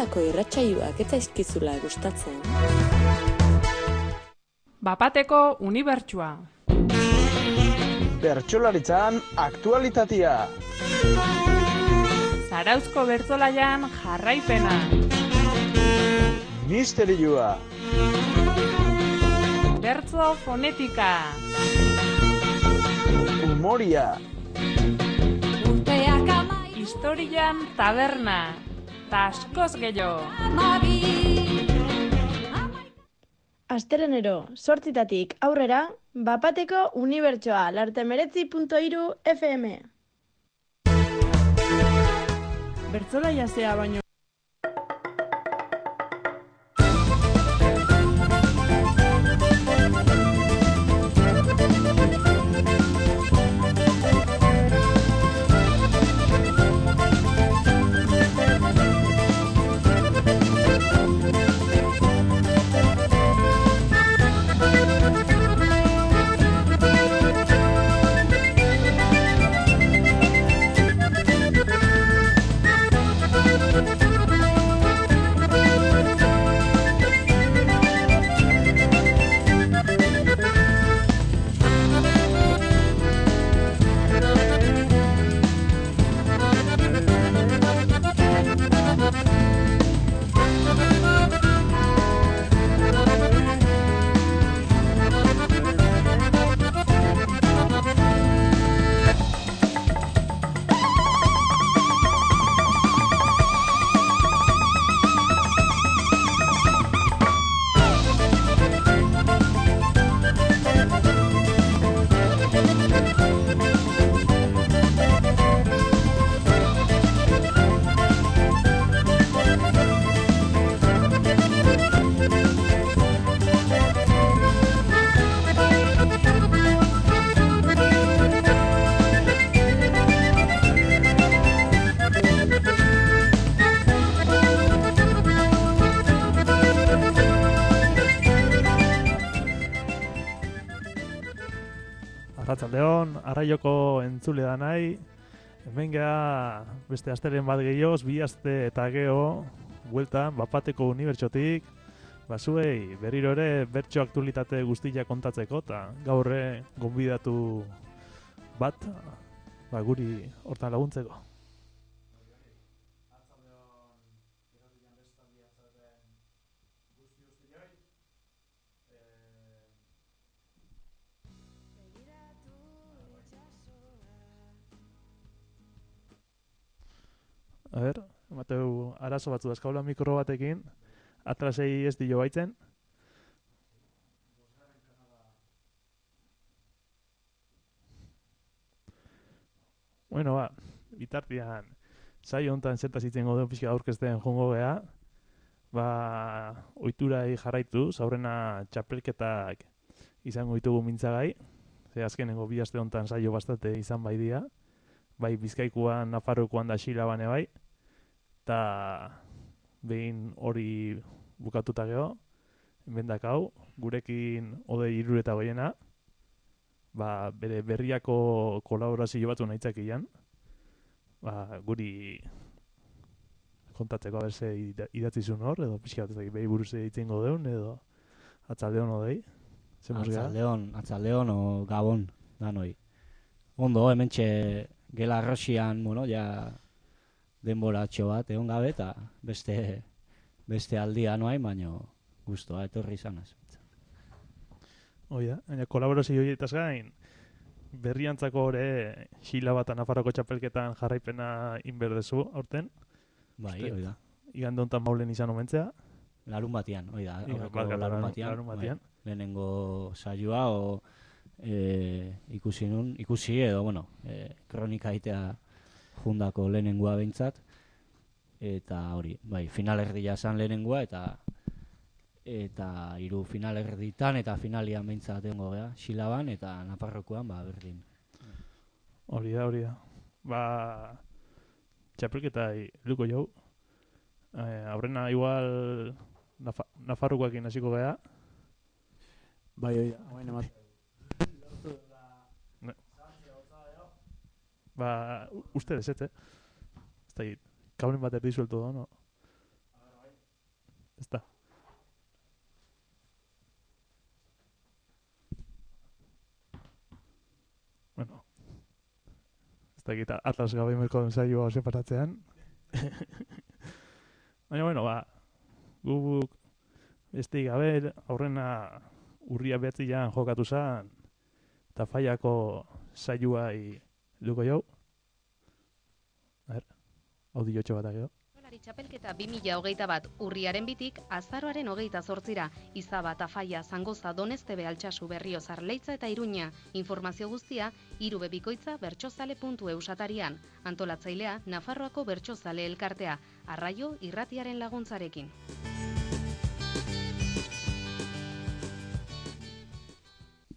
Benetako irratsaioak ez zaizkizula gustatzen. Bapateko unibertsua. Bertsolaritzan aktualitatea. Zarauzko bertsolaian jarraipena. Misterioa. Bertso fonetika. Humoria. Historian taberna. Ta askoz gehiago. Astelenero, 8:00 aurrera, Bapateko unibertsoa, lartemeretzi.3 FM. Bertsolaia zea baino. Arratsaldeon, arraioko entzule da nahi. Hemen geha beste asteren bat gehioz, 2 aste eta geho, bueltan, Bapateko unibertsotik, zuei berriro ere bertso aktualitate guztia kontatzeko, eta gaurre gonbidatu bat, guri hortan laguntzeko. A ber, emateu arazo batzu dazkaula mikro batekin, atrasei ez dio baitzen. Bueno, bitartian, saio honetan zertaz itzen godeu pixka aurkezten jongo geha. Oiturai jarraituz, aurrena txapelketak izango ditugu mintzagai. Ze azkenengo 2 aste honetan saio bastate izan bai dira. Bai Bizkaikuan, Nafarrokoan da Xilabane bai. Eta behin hori bukatuta geho, bendak hau, gurekin Odei Iruretagoiena, bere berriako kolaborazio batzu nahitzak ian, guri kontatzeko aberse idatzizun hor, edo pixka bat behi buruz egiten godeun, edo atzaldeon Odei. Atzaldeon o Gabon, danoi. Ondo, hementxe gela Rosian, ja denboratxo bat egon gabe eta beste aldia noain, baina guztua etorri izanaz. Oida, kolaborazio horietaz gain, berriantzako hori Xila bat Nafarroko txapelketan jarraipena inberdezu aurten. Bai, oida. Igande honetan maulen izan omentzea. Larun batian, oida. Larun batian. Lehenengo saioa, ikusi edo, kronika itea jundako lehenengoa behintzat, eta hori, finalerdia zan lehenengoa, eta 3 finalerditan eta finalian behintzat egongo geha, Xilaban eta Nafarrokoan, berdin. Hori da. Txapelketai luko jau. Aurrena igual Nafarrokoakin hasiko geha. Bai, oia, hauen emat. Ustedes, ez da, kablen bat erdi suelto da, no? dakit Atlas gabe merko saioa separatzean. Baina, bueno, guk besteik gabe aurrena urria 9 jokatu zen, eta Faiako saioai duko jau. Audiotxo bat ageo. Txapelketa 2021 urriaren 2 azaroaren 28ra, Izaba, Tafaia, Zangoza, Doneztebe, Altsasu, Berriozar, Leitza eta Iruña. Informazio guztia irubebikoitza bertsozale.eus atarian. Antolatzailea Nafarroako Bertsozale Elkartea, Arraio Irratiaren laguntzarekin.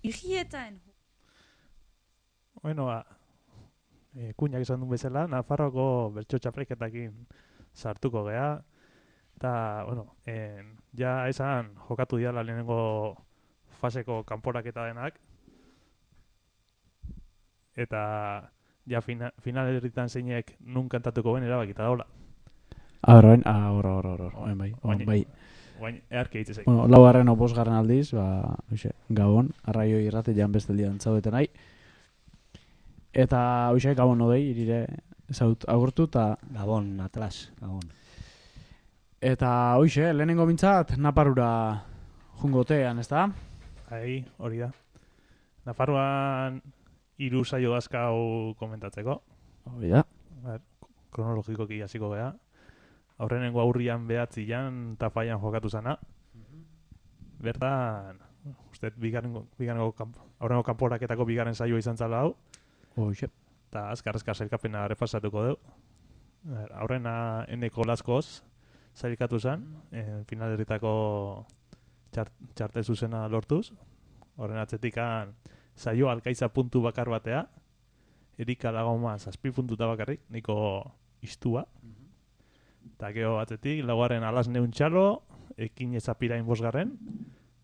Igietan. Bueno, kuñak esan duen bezala, Nafarroako bertso txapelketakin sartuko gea, eta, bueno, ja esan jokatu diala lehenengo faseko kanporaketa denak, eta ja finalerritan zeinek nun kantatuko ben erabakita daula. Hor, bai. Baina, earki hitz ezek. Bueno, 4. o 5. aldiz, Gabon, Arraio Irratian beste aldian zaudeten nahi. Eta, Gabon odei, irire zaut agurtu, eta... Gabon, Atlas, Gabon. Eta, lehenengo mintzat, Naparura jungotean, ez da? Hori da. Nafarroan 3 saio dazkau komentatzeko. Hori da. Kronologikoki hasiko gea. Aurrenengo aurrian 9 Tafaian jokatu zana. Bertan, uste, aurrengo kanporaketako 2. saioa izan zala hau. Eta azkar sailkapena repasatuko dugu. Aurrena Eneko Laskoz sailkatu zen, finalerritako txartel zuzena lortuz. Horren atzetikan saio Alkaiza puntu bakar batea, Erika Lagoma 7 puntuta bakarrik, niko istua. Eta geho atzetik, 4. Alas Neuntxalo, Ekin Ezapirain 5.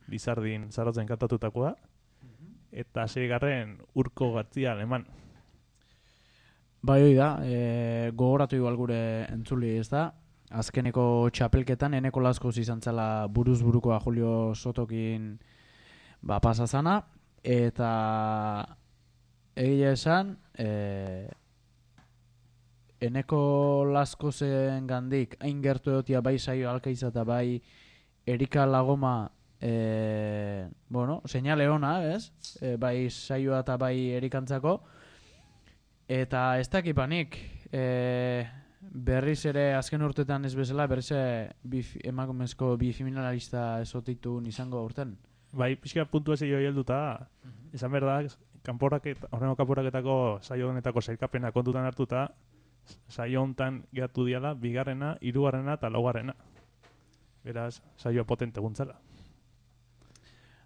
Lizardin Zarotzen kantatutakoa. Eta 6. Urko Gartzia Aleman. Bai, hoi da, gogoratu igual gure entzuli, ez da? Azkeneko txapelketan, Eneko Laskoz izan zela buruz-burukoa Julio Sotokin pasazana, eta egia esan, Eneko Laskozen gandik, hain gertu egotia bai saio Alkaiza eta bai Erika Lagoma, seinale ona, ez? Bai saioa eta bai Erikantzako, eta ez dakipanik, berriz ere azken urtetan ez bezala, berriz emakumezko bi finalista esotitu izango urten. Bai, pixka puntua zeio helduta, esan behar da, horrengo kanporaketako saio honetako sailkapena kontutan hartuta, saio hontan geratu diala, 2., 3. eta 4. Beraz, saio potente guntzala.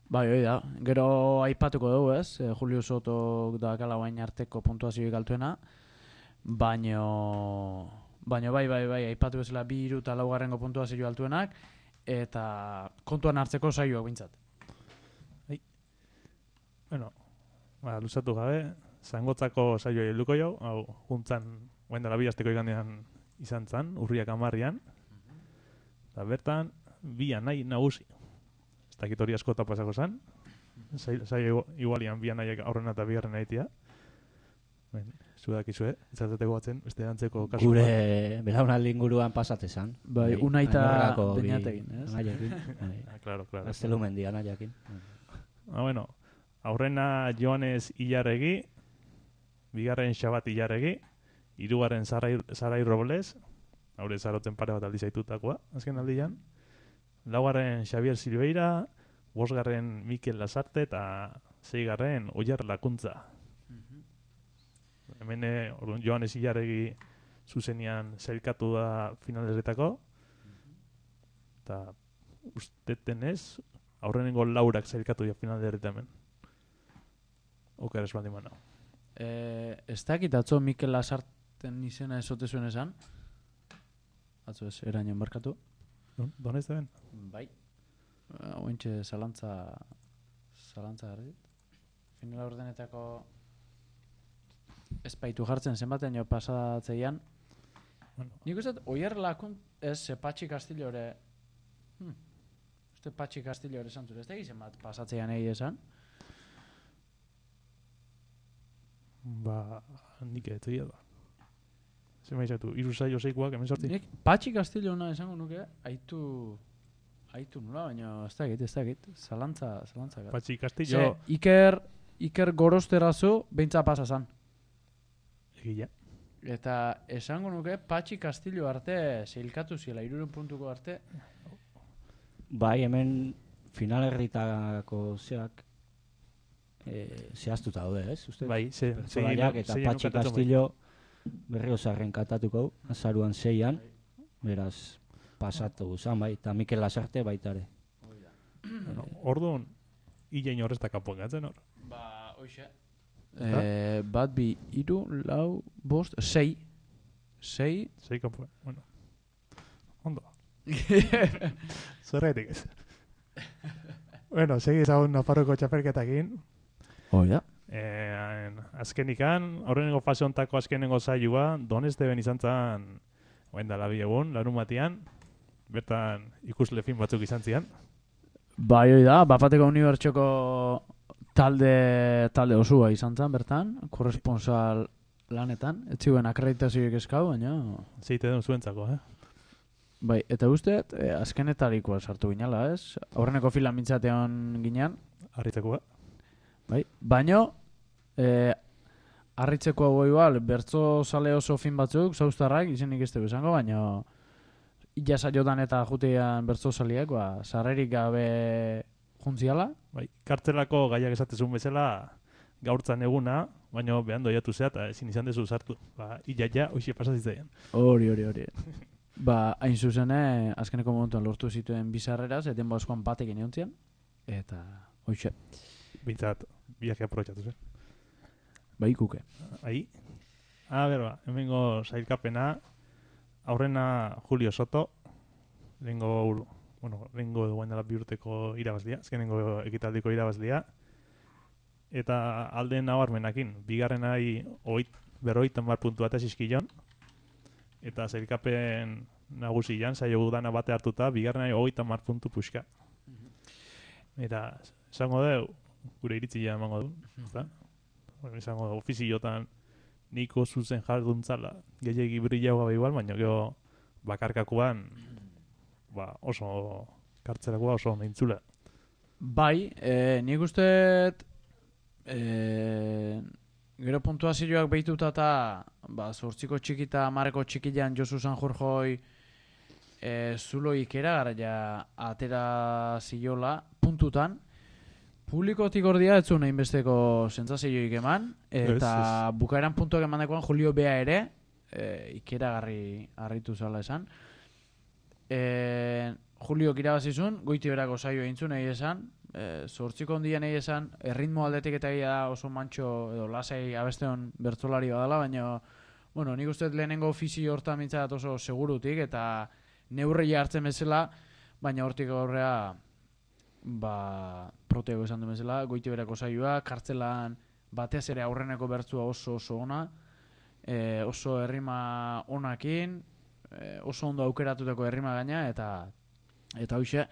Bai, hoi da. Gero aipatuko dugu, ez? Julio Soto da kala bain arteko puntuazioik altuena. Baino bai, aipatu bezala 2. eta 4. puntuazio altuenak, eta kontuan hartzeko saioak bintzat. Bueno, luzatu gabe, Zangotzako saioa helduko jau, hau juntzan, guen dela 2 asteko igandean izan zan, urriak 10. Eta bertan, 2 nahi nagusi. Ez dakit hori askota pasako zan. Saio igualian 2 nahiak aurrena eta 2. nahitia. Zudakizue, izatzeteko batzen, beste antzeko kasu. Gure belaunaldi inguruan pasate zan. Bai, unaita beñatekin, ez? Anaiekin. Claro. Gaztelumendi anaiakin. Bueno, aurrena Joanes Ilarregi, 2. Xabat Ilarregi, 3. Sarai Robles, haure Zarotzen pare bat aldi zaitutakoa, azken aldian. 4. Xavier Silveira, 5. Mikel Lasarte eta 6. Oier Lakuntza. Hemen Joanes Ilarregi zuzenian zailkatu da finalerretako. Eta usteten ez, aurrenengo 4 zailkatu da finalerretamen. Oker ez baldin manau. Ez dakit atzo Mikel Lasarten izena esote zuen esan? Atzo ez, eraino markatu. Donez da ben? Bai. Ointxe zalantza garrit. Finala ordenetako espaitu jartzen zenbaten jo pasatzeian. Nik uste, Oier Lakunt, ez, Patxi Castillore, Patxi Castillore esan zure, ez da egiten bat pasatzeian egi esan? Ba, nik etzia da. Zer maizatu, 3 saio 6koak, hemen sorti? Nik Patxi Castillo ona esango nuke, aitu nula, baina ez dakit, zalantza. Patxi Castillo, Iker Gorosterazu beintza pasa zan. egia. Eta esango nuke Patxi Castillo arte zeilkatu ziela, 3 puntuko arte. Bai, hemen finalerritako zeak zehaztuta daude, ez? Uste? Bai, Pertsolaiak eta Patxi Castillo Berriozarren katatuko, azaruan 6an, beraz, pasatu zan, bai, eta Mikel Lasarte baita ere. Orduan, hilein horrezta kanpoan gatzen hor. Ba, hoxe. Bat, bi, 3, 4, 5, 6. 6 kanpoan, bueno. Ondo. Zerretik ez. Bueno, segi ezagun Nafarroko txapelketakin. Oida. Azkenikan, horrengo fase hontako azkenengo saioa, Donesteben izan zen, oen dala bi egun, larun batean, bertan ikusle fin batzuk izan zian. Bai, oida, Bapateko Unibertsoko talde osua izan zen bertan, korresponsal lanetan, ez ziren akreditazioek eskau, baina... Zeite den zuentzako, Bai, eta uste, azkenetarikoa sartu ginala, ez? Aurreneko filan mintzatean ginean. Harritzekoa. Bai, baino, harritzeko hau igual, bertzo sale oso fin batzuk, zauztarrak, izenik ez dugu esango, baina illa saiotan eta jutean bertzo saliak, sarrerik gabe juntziala. Bai, kartzelako gaiak esatezun bezala gaurtzan eguna, baina behan doiatu zea eta ezin izan dezu sartu. Ba, illa hoxe pasazitzaian. Hori. Ba, hain zuzene, azkeneko momentuan lortu zituen bizarreraz, eten bauzkoan batek ineontzian, eta hoxe. Bintzat, biak aprobetxatu zen. Bai, kuke. Ahi. Hemengo sailkapena, aurrena Julio Soto, lehengo duen dela 2 urteko irabazlia, azkenengo ekitaldiko irabazlia, eta alde nabarmenakin, bigarrenai 50 puntu bat zizkilon, eta sailkapen nagusian, saio gudana bate hartuta, bigarrenai 50 puntu puxka. Eta, esango dugu, gure iritzia emango du, ezta? Esango dugu, ofiziotan niko zuzen jarduntzala, gehiagi brillau gabe igual, baina gero bakarkakoan oso kartzelakoa oso meintzula. Bai, nik uste gero puntuazioak behituta eta 8ko txikita 10ko txikilan Josu Sanjurjoi zulo ikera gara atera ziola puntutan. Publikotik ordia ez zuen hainbesteko sentsazioik eman, eta bukaeran puntuak emandakoan Julio Bea ere ikeragarri harritu zala esan. Julio irabazizun, goiti berako saio eintzun nahi esan, 8ko ondian nahi esan, erritmo aldetik eta da oso mantxo edo lasai abesteon bertzolari badala, baina bueno, nik uste lehenengo ofizio hortan mintzat oso segurutik eta neurria hartzen bezala, baina hortik aurrea protego esan du bezala, goiti berako saioa, kartzelan batez ere aurreneko bertzua oso ona, oso errima onakin, oso ondo aukeratutako errima gaina, eta hoxe,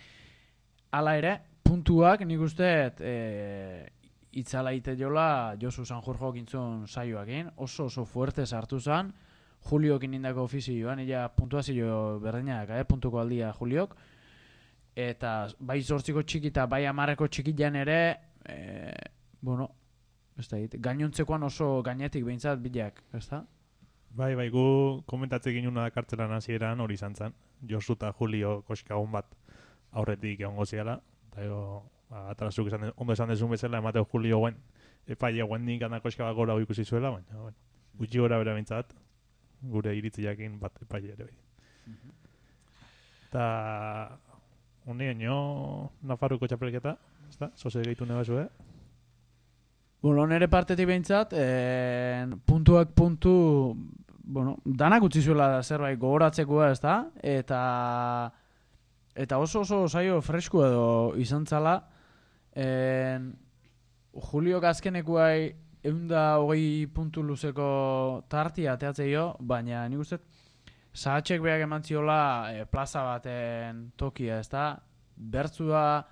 hala ere, puntuak nik uste itzala ite jola Josu Sanjurjo gintzun saioakin, oso fuerte sartu zan, Juliokin indako ofizioan, illa puntuazio berdinak, puntuko aldia Juliok, eta bai 8ko txiki eta bai 10ko txikilan ere, ez da, gainontzekoan oso gainetik behintzat bilak, ez da? Bai, gu komentatzen ginuna da kartzelan hasieran hori izan zen. Josu eta Julio koskagun bat aurretik egongo ziala. Eta atrasuk ondo esan dezun bezala, emateo Julio guen, epaile guen dinkana koska bat gora ikusi zuela, baina gutxi gora bera bintzat, gure iritziakin bat epaile ere bai. Eta honean Nafarroko txapelketa, ez da? Zoze gehitu nebazu, Bueno, nire partetik behintzat, puntuak puntu, danak utzi zuela zerbait gogoratzekoa, ez da? Eta oso saio fresku edo izan zala. Juliok azkenekuai 120 puntu luzeko tartia ateatzei jo, baina nik uste Sahatxek beak eman ziola plaza baten tokia, ez da? Bertzua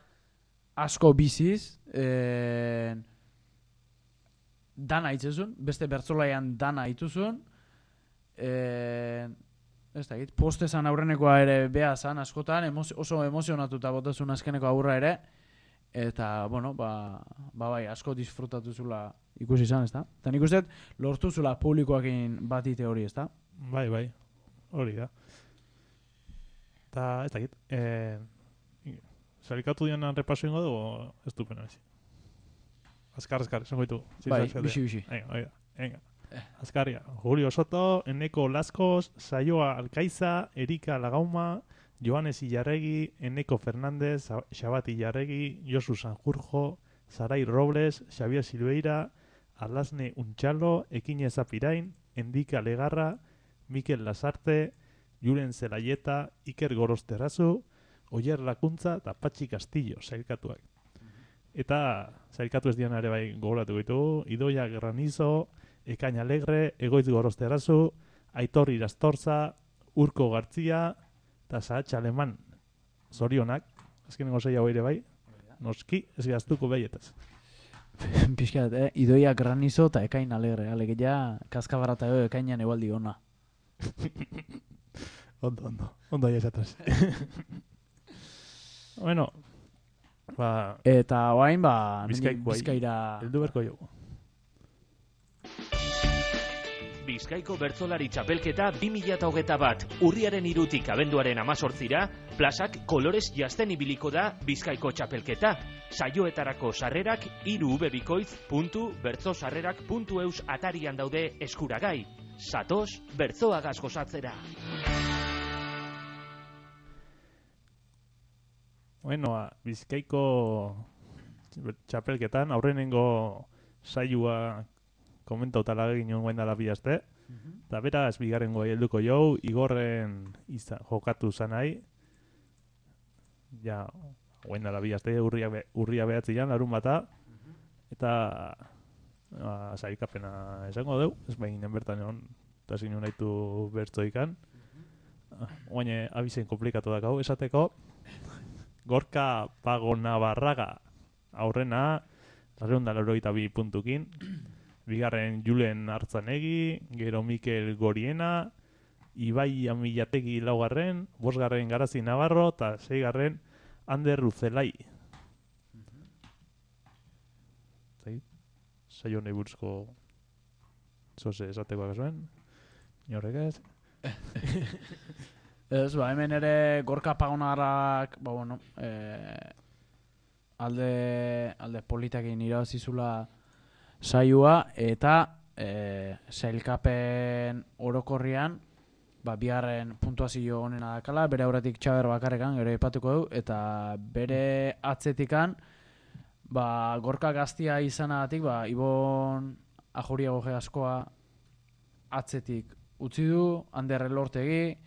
asko biziz, dana itzezun, beste bertzolaian dana ituzun, ez da, postezan aurrenekoa ere beha zan askotan, oso emozionatuta botazun azkeneko aurra ere, eta, bueno, bai, asko disfrutatu zula ikusi izan, ez da? Eta nik uste, lortu zula publikoakin batite hori, ez da? Bai, hori da. Eta, ez dakit, salikatu dianan repaso ingo dugu, ez du pena, Azkar, esango ditu. Bai, bixi. Venga. Azkarria. Julio Soto, Eneko Laskos, Saioa Alkaiza, Erika Lagauma, Joanes Illarregi, Eneko Fernández, Xabat Illarregi, Josu Sanjurjo, Sarai Robles, Xavier Silveira, Alasne Untxalo, Ekine Zapirain, Endika Legarra, Mikel Lasarte, Julen Zelaieta, Iker Gorosterrazu, Oier Lakuntza eta Patxi Castillo, sailkatuak. Eta sailkatu ez dian ere bai gogoratu ditugu, Idoia Granizo, Ekain Alegre, Egoitz Gorosterrazu, Aitor Irastorza, Urko Gartzia, eta Sahatx Aleman. Zorionak, azkenengo zei hau ere bai, noski, ez gaztuko behietaz. Piskat, Idoia Granizo eta Ekain Alegre, alegia kaskabarata ekainan ebaldi ona. Ondo ya esataz. Bueno, eta oain, Bizkaira heldu berko jogu. Bizkaiko bertsolari txapelketa 2021, urriaren 3tik abenduaren 18ra, plazak kolorez jazten ibiliko da Bizkaiko txapelketa. Saioetarako sarrerak irubebikoitz.bertzosarrerak.eus atarian daude eskuragai. Satoz, bertzoagaz gozatzera. Bueno, Bizkaiko txapelketan aurrenengo saioa komentauta egin guen dala bihazte. Eta beraz, bigarrengo helduko jau, Igorren jokatu zanai. Ja, guen dala bihazte, urria behatzian, larun bata. Eta sailkapena esango deu, ez behin bertan egon, eta zinu nahitu bertzoikan. Oaine, abizen komplikatu dakau esateko. Gorka Pago Navarraga aurrena, 282 puntukin. Bigarren Julen Artzanegi, gero Mikel Goriena, Ibai Amilategi laugarren, 5. Garazi Navarro, eta 6. Ander Ruzelai. Saio nahi buruzko zoze esateko akasuen. Norrek ez? Ez, hemen ere Gorka Pagonarrak, alde politakin irabazizula saioa, eta sailkapen orokorrian, bigarren puntuazio honena dakala, bere aurretik Txaber bakarrekan, gero ipatuko du, eta bere atzetikan, Gorka gaztia izanagatik, Ibon Ajuria goge askoa atzetik utzi du, Ander Elortegi,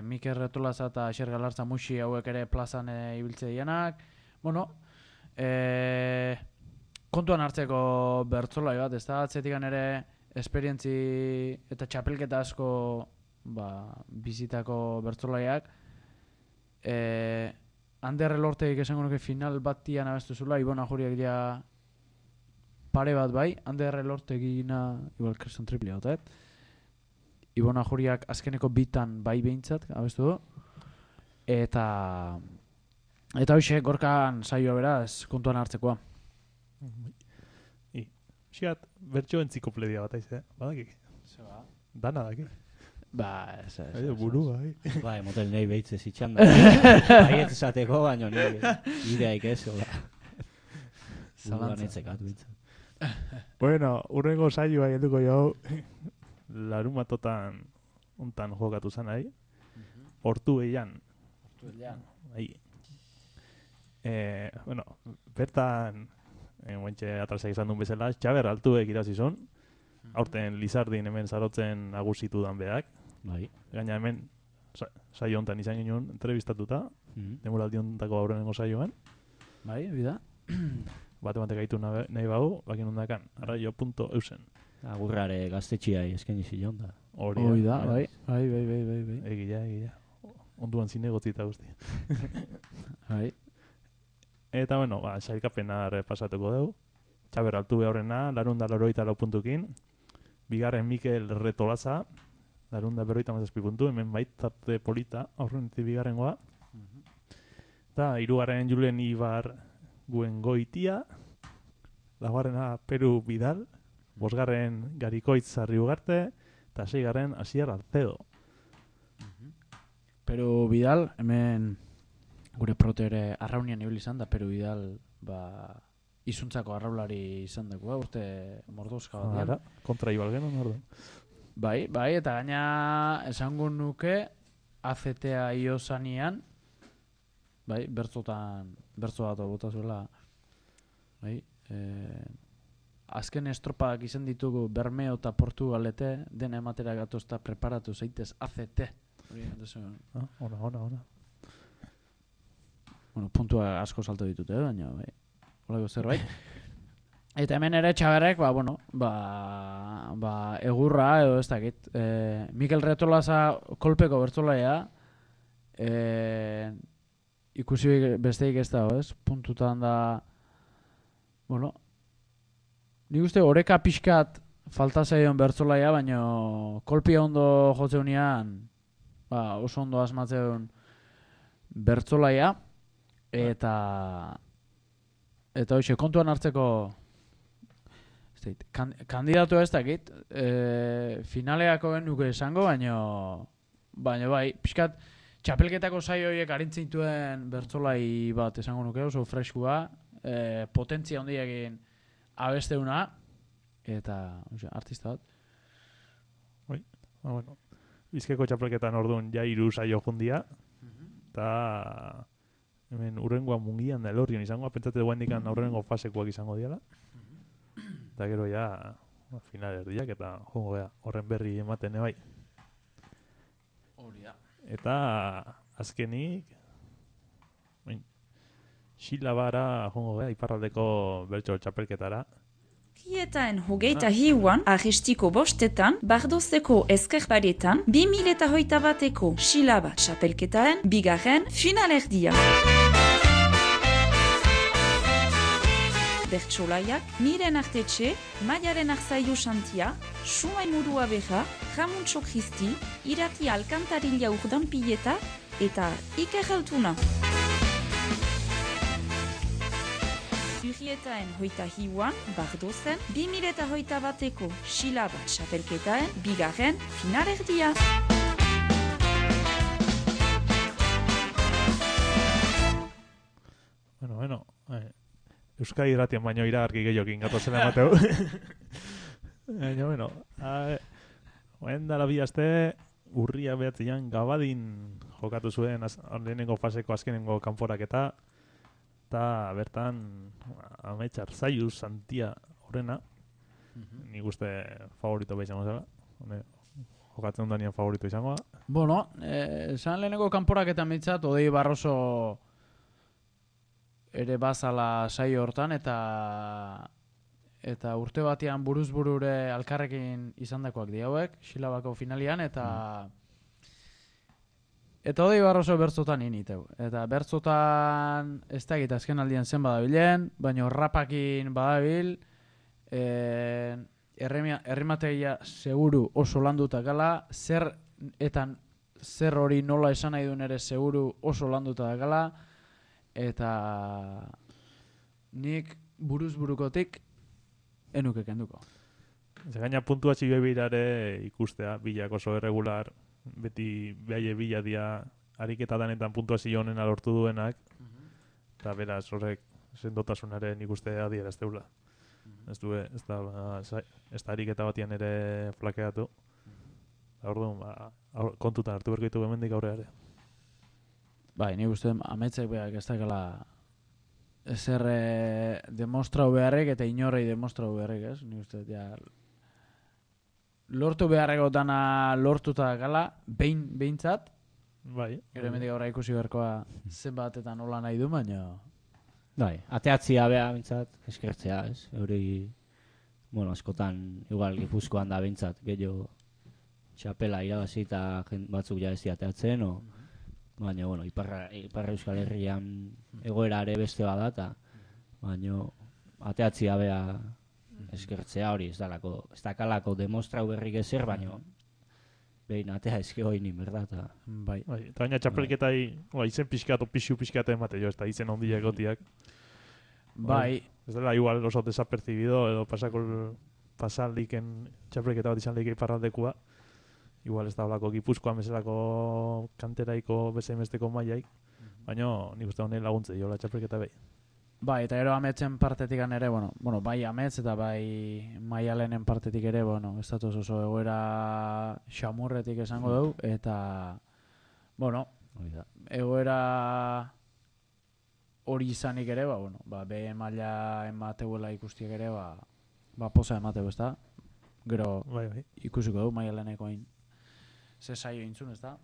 Mikel Retolaza eta Xer Galartza Muxi hauek ere plazan ibiltze dianak. Bueno, kontuan hartzeko bertzolai bat, ez da, atzetikan ere esperientzi eta txapelketa asko bizitako bertzolaiak. Ander Elortegik esango nuke final batian abestu zula, Ibon Ajuriak ja pare bat bai, Ander Elortegina igual kriston triplia gotet. Ibon Ajuriak azkeneko bitan bai behintzat abestu du. Eta hoxe, Gorkan saioa beraz, kontuan hartzekoa. Xiat, bertxo entzikopledia bat aiz, badakik? Zeba? Dana dakik? Ez. Burua, motel nahi behitzez itxan da. Baiet esateko, baino ideaik ez, hola. Buruan etzekatu bitzen. Bueno, urrengo saioa helduko jau, larun batotan ontan jokatu zan nahi. Hortu eian. Bueno, bertan, guentxe atrasak izan duen bezala, Txaber altuek irazizun. Aurten Lizardin hemen zarotzen agusitu dan beak. Gaina hemen saio hontan izan ginen entrevistatuta. Demoraldi hontako aurrenengo saioan. Bida. Bate gaitu nahi bau, bakin hondakan, arraio.eusen. Agurrare gaztetxiai esken izan da. Hori da, bai. Egia. Onduan zinegotzita guzti. Bai. Eta, bueno, sailkapena pasatuko dugu. Txaber altu behorrena, 484 puntukin. Bigarren Mikel Retolaza, 457 puntu, hemen baitate polita, aurrenetik bigarrengoa. Eta hirugarren Julen Ibar Guengoitia, laugarrena Peru Vidal, bosgarren Garikoitz Sarri Ugarte, eta seigarren Asier Alcedo. Peru Vidal, hemen gure protere arraunian ibili izan da, Peru Vidal izuntzako arraulari izan dagoa, urte mordozka bat. Ara, kontra ibal genuen orduan. Bai, eta gaina esango nuke AZTA iosanean, bai, bertso bat bota zuela, bai, azken estropadak izan ditugu Bermeo eta Portugalete, dena ematera gatozta preparatu zaitez AZT. Ona. Bueno, puntua asko salto ditute, baina, bai, holako zerbait. Eta hemen ere Txaberrek, egurra edo ez dakit. Mikel Retolaza kolpeko bertzolaia, ikusi besteik ez dago, ez? Puntutan da, bueno, nik uste oreka pixkat falta zaion bertzolaia, baina kolpia ondo jotzeunean, oso ondo asmatzeun bertzolaia, eta hoxe, kontuan hartzeko kandidatu ez dakit, finaleako genuke esango, baina bai, pixkat txapelketako saio horiek arintzintuen bertzolai bat esango nuke, oso freskua, potentzia hondiakin abesteuna, eta artista bat. Bai, bueno, Bizkaiko txapelketan orduan ja 3 saio jundia, eta hemen urrengoa mungian da elorrion izango, pentsate duen dikan aurrengo fasekoak izango diala. Eta gero ja final erdiak eta jongo gea horren berri ematen bai. Hori da. Eta azkenik Xilabara jongo gea iparraldeko bertso txapelketara. Kietaen hogeita hiuan, ahistiko bostetan, Bardozeko ezkerparetan, 2021eko Xilaba txapelketaen bigarren finalerdia. Bertsolaiak, Miren Artetxe, Maialen Arzaiu Xantia, Sumai Murua Beja, Ramuntxo Kristi, Irati Alkantarilla Urdan Pileta eta Iker Altuna. Urrietaen hoita hiuan, Bardozen, 2021eko Xilaba txapelketaen bigarren finalerdia. Bueno, Euskadi irratian baino iragarki gehiokin gatozela emateu. Baina, bueno, dara bi aste, urria behatzean Gabadin jokatu zuen lehenengo faseko azkenengo kanporaketa, eta bertan Amets Arzaiu Santia horrena, nik uste favorito beha izango zela. Jokatzen danian favorito izango da. Bueno, esan lehenengo kanporaketan mitzat, Odei Barroso ere bazala saio hortan, eta urte batean buruz-burure alkarrekin izandakoak diauek, Xilabako finalian, eta Odei Barroso bertzotan initeu. Eta bertzotan ez da egit azken aldian zen badabilen, baina rapakin badabil, errimategia seguru oso landuta gala, zer hori nola esan nahi duen ere seguru oso landuta gala, eta nik buruz-burukotik enuke kenduko. Gaina puntuazio behirare ikustea, bilak oso irregular, beti behaie bila dia ariketa danetan puntuazio honen alortu duenak, eta beraz horrek sendotasunaren ikustea adierazteula. Ez da ariketa batian ere flakeatu. Orduan, kontutan hartu berko ditu bemendik aurreare. Bai, nik uste Ametzek behar ez dakala ezer demostrau beharrek eta inorrei demostrau beharrek, ez? Nik uste, lortu beharreko dana lortuta gala, behintzat. Bai. Gero emendik aurra ikusi beharkoa zenbat eta nola nahi du, baina... Bai, ateatzia beha bintzat, eskertzea, ez? Hori, bueno, askotan, igual, Gipuzkoan da bintzat, gehiago txapela irabazi eta batzuk ja ez ateatzen, baina, bueno, Ipar Euskal Herrian egoera ere beste bada, baina ateatzia bea eskertzea hori, ez dakalako demostrau berrik ezer, baino behin atea eske hoinin, berda, eta... Bai. Eta baina txapelketai, izen pixkat, pixu pixkat emate jo, ez da izen ondiak gotiak. Bai. Ez dela igual oso desapercibido, edo pasan liken txapelketa bat izan leike iparraldekua. Igual ez da olako Gipuzkoan bezalako kanteraiko bezainbesteko mailaik. Baina nik uste honen laguntze diola txapelketa behi. Bai, eta gero ametsen partetik ere, bueno, bai amets eta bai Maialenen partetik ere, ez datoz oso egoera xamurretik esango dugu, eta, egoera hori izanik ere, be maila emateguela ikustiek ere, poza emateu, ez da? Gero ikusiko dugu Maialeneko hain ze saio intzun, ez da?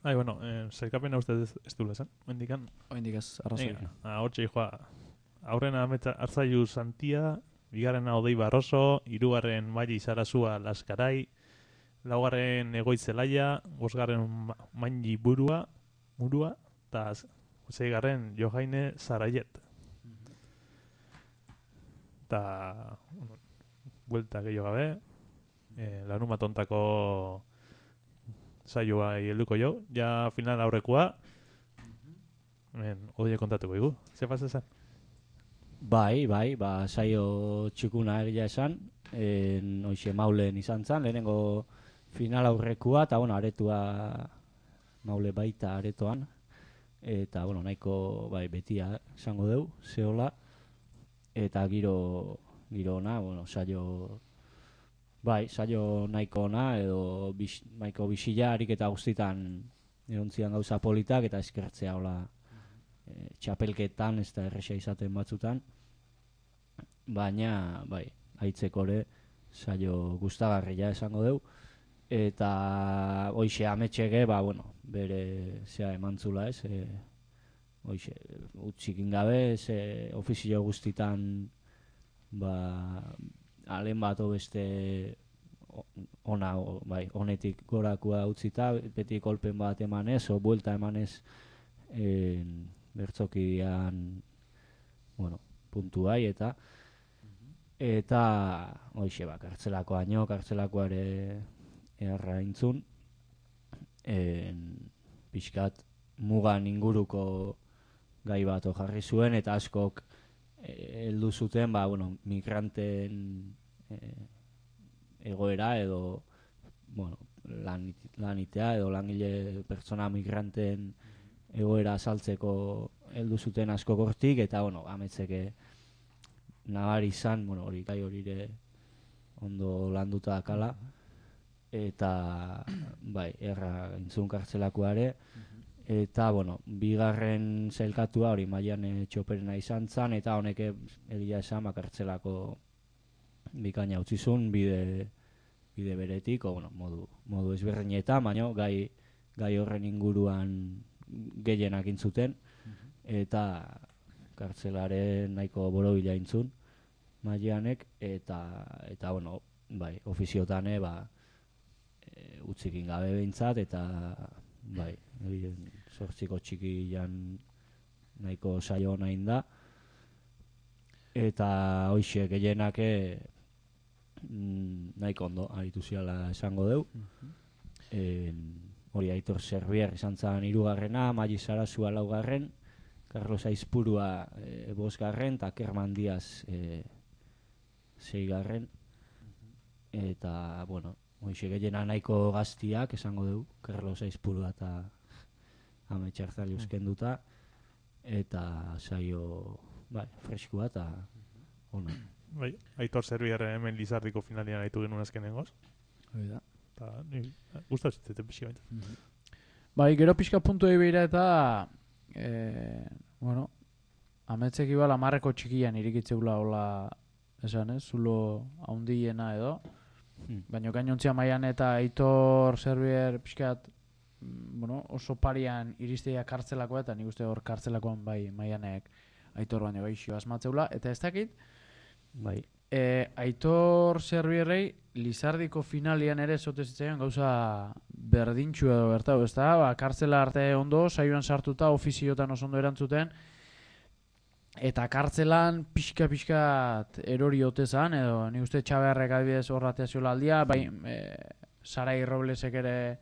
Zailkapena uste ez du lezan, oindikan. Oindikaz, arrazoi. Hortxe joa, aurrena Arzaiu Santia, bigarrena Odei Barroso, hirugarren Maili Sarazua Laskarai, laugarren Egoitzelaia, bosgarren Maini Murua, eta zeigarren Johaine Zaraiet. Eta, buelta gehiago gabe, larunbatontako saioa helduko jo, ja final aurrekoa. Odie kontatuko igu. Ze pasa esan? Bai, saio txukuna egia esan. Hoxe Maulen izan zen, lehenengo final aurrekoa, eta aretua Maule baita aretoan. Eta, nahiko betia esango deu, zehola. Eta giro ona, saio... saio nahiko ona, edo nahiko bisila harik eta guztitan egontzian gauza politak, eta eskertzea hola txapelketan, ez da erresa izaten batzutan. Baina, haitzeko ere, saio gustagarria esango deu. Eta, hoxe, ametxege, bere zea emantzula ez, hoxe, utzikin gabe, ofizio guztitan, alen bat beste honetik gorakua utzita, beti kolpen bat emanez, o buelta emanez bertzokidean puntuai, eta hoxe, kartzelako ere erra intzun, pixkat mugan inguruko gai bat jarri zuen, eta askok heldu zuten, migranten egoera edo lanitea edo langile pertsona migranten egoera azaltzeko heldu zuten asko gortik, eta ametzeke nabari izan, hori gai horire ondo landuta dakala, eta erra intzun kartzelakoare, eta bigarren zailkatua hori Maiane Txoperena izan zan, eta honek egia esan kartzelako bikaina utzizun bide beretik, modu ezberdinetan, baina gai horren inguruan gehienak intzuten, eta kartzelaren nahiko borobila intzun Maianek, eta ofiziotane utzikin gabe behintzat, eta sortziko txikian nahiko saio nahin da, eta hoxe gehienak nahiko ondo aritu ziala esango deu. Hori Aitor Serbier izan zan 3. Maili Sarazua 4. Carlos Aizpurua 5. eta Kerman Diaz 6. Eta, hoxe gehiena nahiko gaztiak esango dugu, Carlos Aizpurua eta Ametxartzali euskenduta, eta saio freskua eta ona. Aitor Serbier hemen Lizardiko finalian haitu genuen azkenengoz. Hori da. Eta, gustatu zitzen pixi baita. Gero pixka puntu egibira eta, ametzek ibala marreko txikian irikitzeula hola, esan ez, zulo haundiena edo, baina gainontzia Maian eta Aitor Serbier pixkat, oso parian iristeia kartzelakoa, eta nik uste hor kartzelakoan Maianek Aitor baino gaixo asmatzeula, eta ez dakit, Aitor Serbierrei Lizardiko finalian ere zotezitzaian gauza berdintxu edo bertau, ez da, kartzela arte ondo, saioan sartuta, ofiziotan oso ondo erantzuten, Eta kartzelan pixka erori otezan, edo nik uste Txaberrek adibidez horratea ziola aldia, bai Sarai Roblesek ere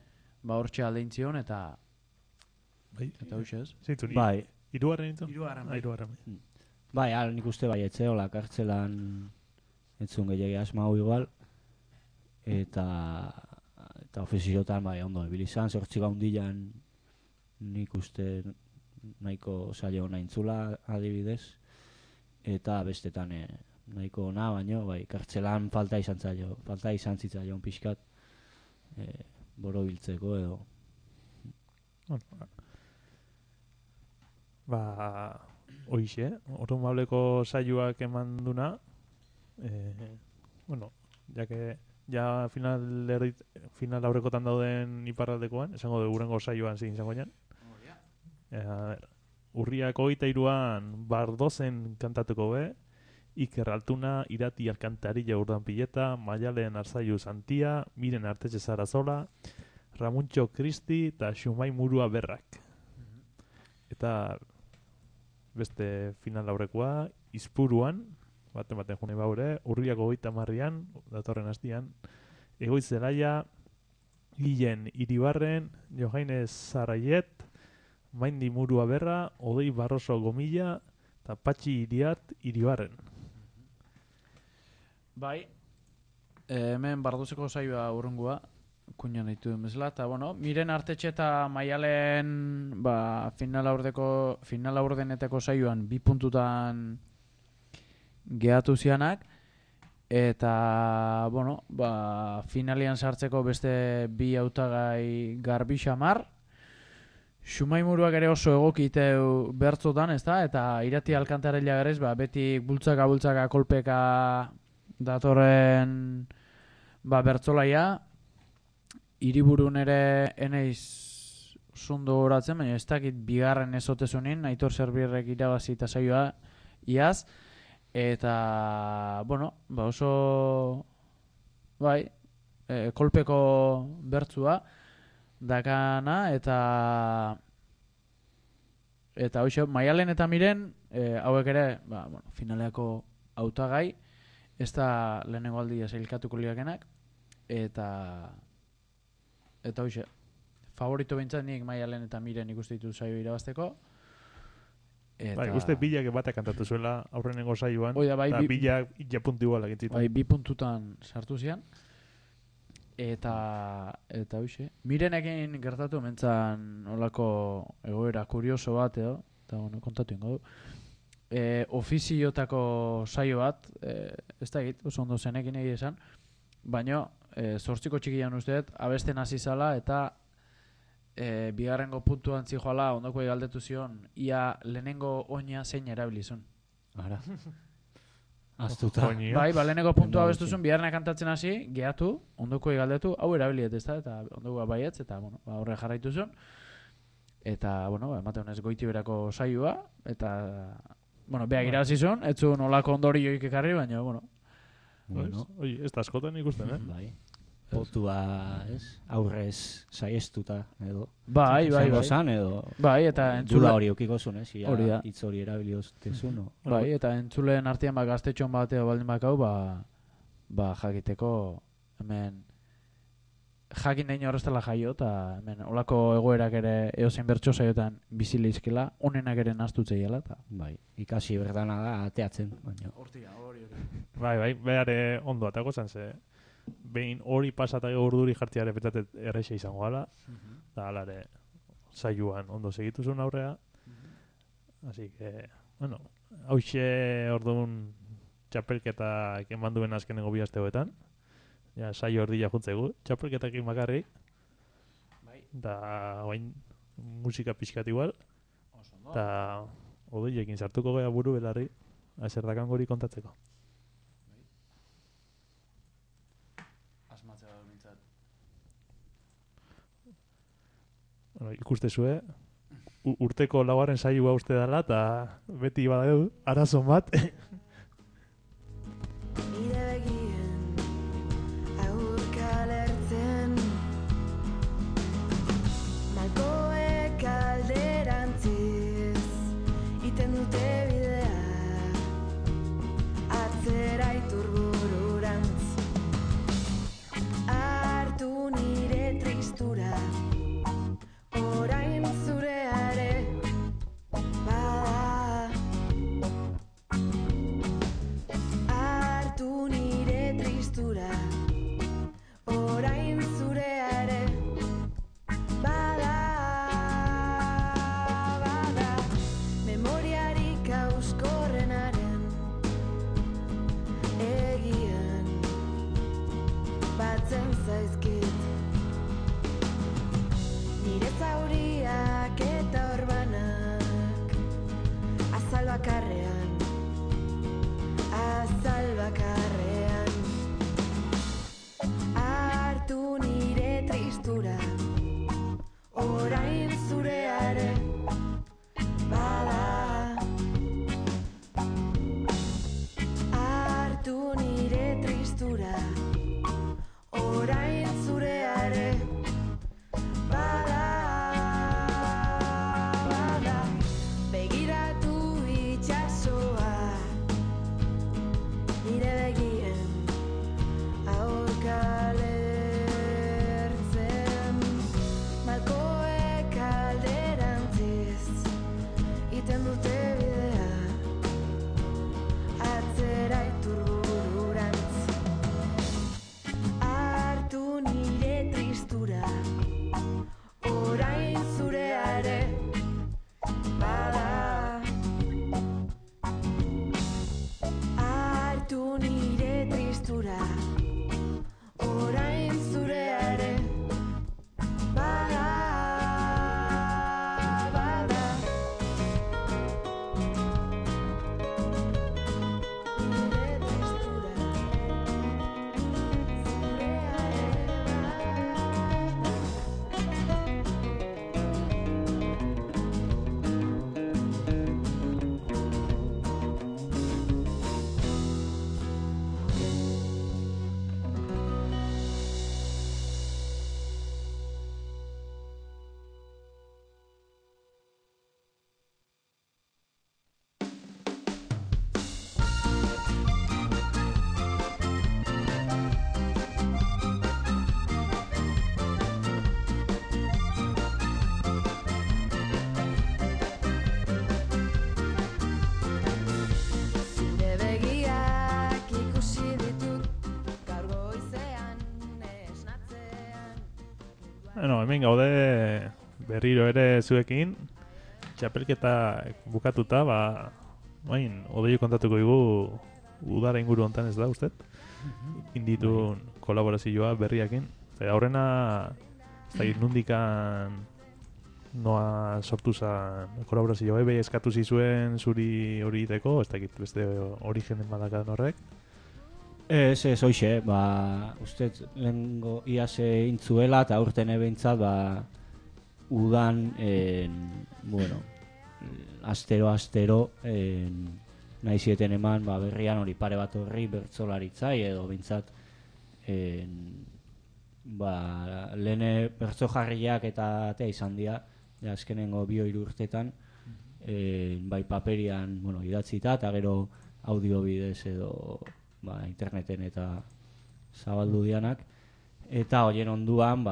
hortxe aldein zion, eta huxez. Zeintzun, Bai. Hirugarren nintzen? Hirugarren. Bai, nik uste bai etzeola kartzelan entzun gehiagia asmau igual, eta ofiziotan bai ondo ebili izan, 8 gaundilan nik uste nahiko saio ona intzula adibidez, eta bestetan nahiko ona, baino bai kartzelan falta izan zitzaion pixkat borobiltzeko edo. Hoixe, orduan mableko saioak eman duna, ja final aurrekotan dauden iparraldekoan, esango dugu gurengo saioan zein izango nian. Urriak 23an Bardozen kantatuko be, Iker Altuna, Irati Alkantarilla Urdanpileta, Maialen Arzaiu Santia, Miren Artetxe Zarazola, Ramuntxo Kristi eta Xumai Murua Berrak. Eta beste final aurrekoa, Izpuruan, baten june baure, Urriak 30an, datorren hastian, Egoitz Zelaia, Guillen Iribarren, Johainez Zaraiet, Maindi Murua Berra, Odei Barroso Gomilla, eta Patxi Iriart Iribarren. Bai, hemen Bardozeko saioa urrungua, kuñan ditu den bezala, eta Miren Artetxe eta Maialen final aurdenetako saioan 2 puntutan gehatu zianak, eta finalian sartzeko beste 2 hautagai Garbi Xamar, Xumai Muruak ere oso egokiteu bertzotan, ezta? Eta Irati Alkantarilla garez, beti bultzaka kolpeka datorren bertzolaia. Hiriburun ere eneiz zundo horatzen, baina ez dakit bigarren ezotezunin, Aitor Zerbirrek irabazi eta saioa iaz. Eta, oso kolpeko bertzua dakana, eta hoxe, Maialen eta Miren hauek ere finaleako hautagai, ez da lehenengo aldia sailkatuko ligakenak, eta hoxe, favorito bintzat nik Maialen eta Miren ikuste ditu saio irabazteko. Uste Bilak batak kantatu zuela aurrenengo saioan, eta Bilak ja puntu igualak entzitu. 2 puntutan sartu zian. Eta hoxe, Mirenekin gertatu mentzan olako egoera kurioso bat edo, eta kontatu ingo du. Ofiziotako saio bat, ez da egit, oso ondo zenekin egia esan, baina 8 txikian usteet, abesten hasi zala eta bigarrengo puntuan zijoala ondoko galdetu zion, ia lehenengo oina zein erabilizun. Ara. Aztuta. Bai, lehenengo puntua abestuzun, biharna kantatzen hasi, gehatu, ondoko galdetu, hau erabiliet ez da, eta ondoko baietz, eta horre jarraitu zuen. Eta, emate honez goiti berako saioa, eta, beak irabazi zuen, ez zuen olako ondori joik ekarri, baina, Ez da askotan ikusten, Bai. Potua, aurrez saiestuta, edo. Bai. Edo. Bai, eta entzule. Dula hori eukiko zuen, Hori da. Hitz hori erabilioztezun. Bai, eta entzuleen artean gaztetxon bateo baldin bakau, jakiteko, hemen, jakin nahi horreztela jaio, eta hemen, olako egoerak ere eozein bertso saiotan bizilizkela, onenak ere naztutzeiela, eta. Bai, ikasi berdana da, ateatzen, baina. Hortia. Bai, behare ondo atako zan, ze behin hori pasatake urduri jartziare petzatet erreixa izango gala, eta alare saioan ondo segituzun aurrea. Así que, hauxe orduan txapelketak eman duen azkenengo 2 asteoetan. Ja, saio erdila juntzegu, txapelketak makarrik. Da, oain musika pixkat igual. Eta odoiekin sartuko gea buru belarri, azerdakan gori kontatzeko. Ikuste zue, urteko 4. saioa uste dela, eta beti badau, arazon bat. Nire begien aurka lertzen, malkoek alderantziz iten dute bidea. bakarrean, azal bakarrean. Hartu nire tristura, orain zureare bada. Hartu nire tristura, orain zureare bada. Bada, begiratu itxasoa, nire begien aurka lertzen. Malkoek alderantziz iten dute bidea, atzera iturbururantz. Hartu nire tristura, orain zureare bada. Hartu nire tristura, orain zureare bada. Bada. Nire tristura, zureare zure begiak ikusi ditut gaur goizean esnatzean. Bueno, hemen gaude berriro ere zuekin, txapelketa bukatuta, bain, Odeio kontatuko digu udara inguru hontan ez da, ustez? Inditun kolaborazioa berriakin. Aurrena, ez da nundikan noa sortu zan kolaborazioa, bai eskatu zizuen zuri hori iteko, ez dakit beste origenen badakadan horrek. Ez, hoxe, ustez lehengo iase intzuela eta aurten ebentzat, udan, bueno, astero, nahi zieten eman, berrian hori pare bat horri bertsolaritzai edo bintzat, lehene bertso jarriak eta atea izan dira, azkenengo 2-3 urtetan, bai paperian, bueno, idatzita eta gero audio bidez edo interneten eta zabaldu dianak, eta horien onduan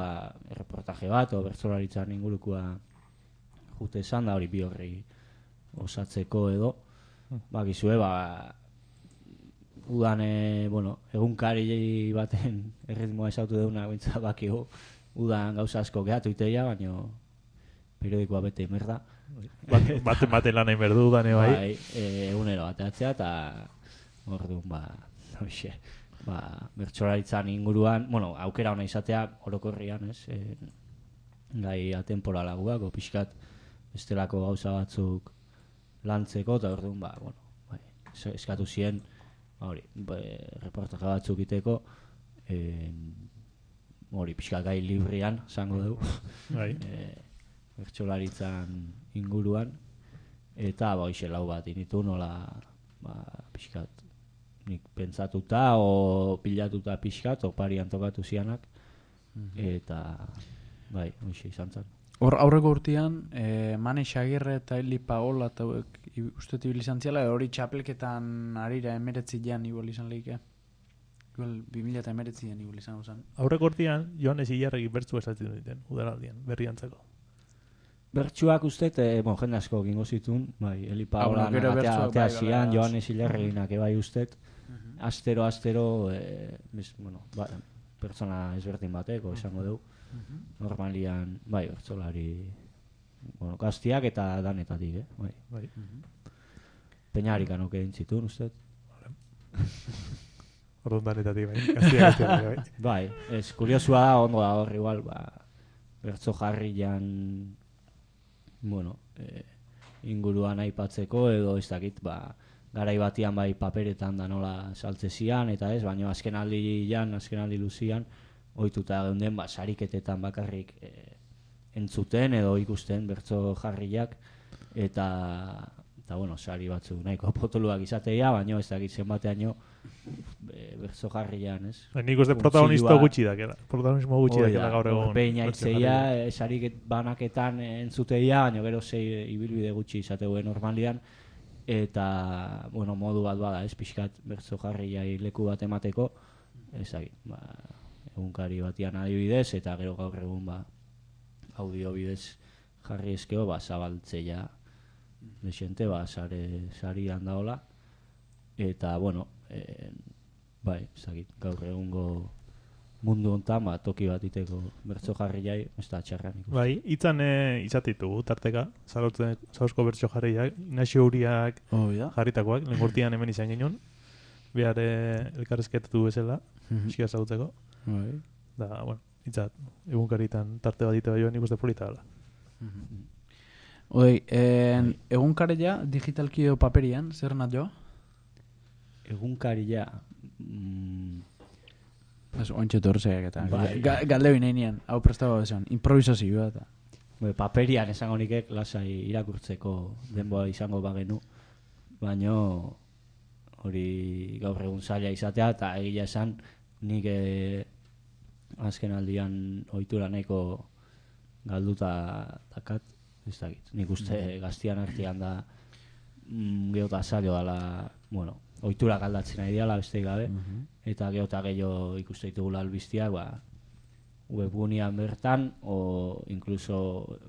reportaje bat o bertsolaritzaren ingurukua jute esan da hori 2 horri osatzeko edo gizue udan bueno, egunkari baten erritmoa esautu deuna bintzat bakigu udan gauza asko gehatu iteia, baino periodikoa bete merda. Bate lan egin berdu udan bai. Egunero bateatzea eta orduan bertsolaritzan inguruan, bueno, aukera ona izatea orokorrian, ez? Gai atemporalagoak, pixkat bestelako gauza batzuk lantzeko, eta orduan, bueno, eskatu zien, reportaje batzuk iteko, pixkat gai librian, zango dugu, bertsolaritzan inguruan, eta lau bat initu nola, pixkat, nik pentsatuta o pilatuta pixkat, oparian tokatu zianak, eta hoxe izan zen. Hor aurreko urtean, Mane Xagirre eta Eli Paola eta uste tibil izan ziala, hori txapelketan arira 19 igual izan lehike. Igual 2019 igual izan zen. Aurreko urtean, Joanes Ilarregi bertzu esatzen duten, udaraldian, berriantzako. Bertsuak uste, jende asko gingo zitun, Eli Paola atea zian, Joanes Ilarreginak ebai uste, astero, pertsona ezberdin bateko esango dugu. Normalian, bertsolari, gaztiak eta danetatik, Peñarikan oke dintzitun, uste. Orduan danetatik, gaztiak, bai. Ez, kuriosua da, ondo da hor igual, bertso jarrian, bueno, inguruan aipatzeko edo ez dakit, garai batian bai paperetan da nola saltze zian eta ez, baina azken aldi luzian ohituta geunden sariketetan bakarrik entzuten edo ikusten bertso jarriak eta bueno, sari batzu nahiko potoluak izatea, baina ez dakit zenbateaino bertso jarrian, ez? Nik uste protagonismo gutxi dakela gaur egun. Peina itzeia, sarik banaketan entzuteia, baina gero zei ibilbide gutxi izateu normalian, eta, bueno, modu bat bada, ez, pixkat bertso jarriai leku bat emateko, ez dakit, egunkari batian adibidez, eta gero gaur egun, audio bidez jarri eskeo, zabaltzeia desente, sari handaola, eta, bueno, bai, zakit, gaur egungo mundu hontan, toki bat iteko bertso jarriai, ez da txarran ikusten. Bai, hitzan izatitugu, tarteka, zauzko bertso jarriak, Inaxio Uriak jarritakoak, lengurtian hemen izan ginen, behar elkarrezketatu bezala, pixka zagutzeko. Da, bueno, hitzat, egunkaritan tarte bat ite bai nik uste polita dela. Egunkaria digitalki edo paperian, zer nat jo? Egunkaria... Ointxe torzeak eta galde binean, hau prestaba bezan, improvisazioa eta... Paperian esango nikek lasai irakurtzeko denboa izango bagenu, baino hori gaur egun zaila izatea eta egia esan nik azken aldian ohitura nahiko galduta dakat, ez dakit. Nik uste gaztian artean da geota zailo dela, bueno, ohitura galdatzen nahi diala besteik gabe, eta geota gehiago ikuste ditugula albiztiak, webgunean bertan, o incluso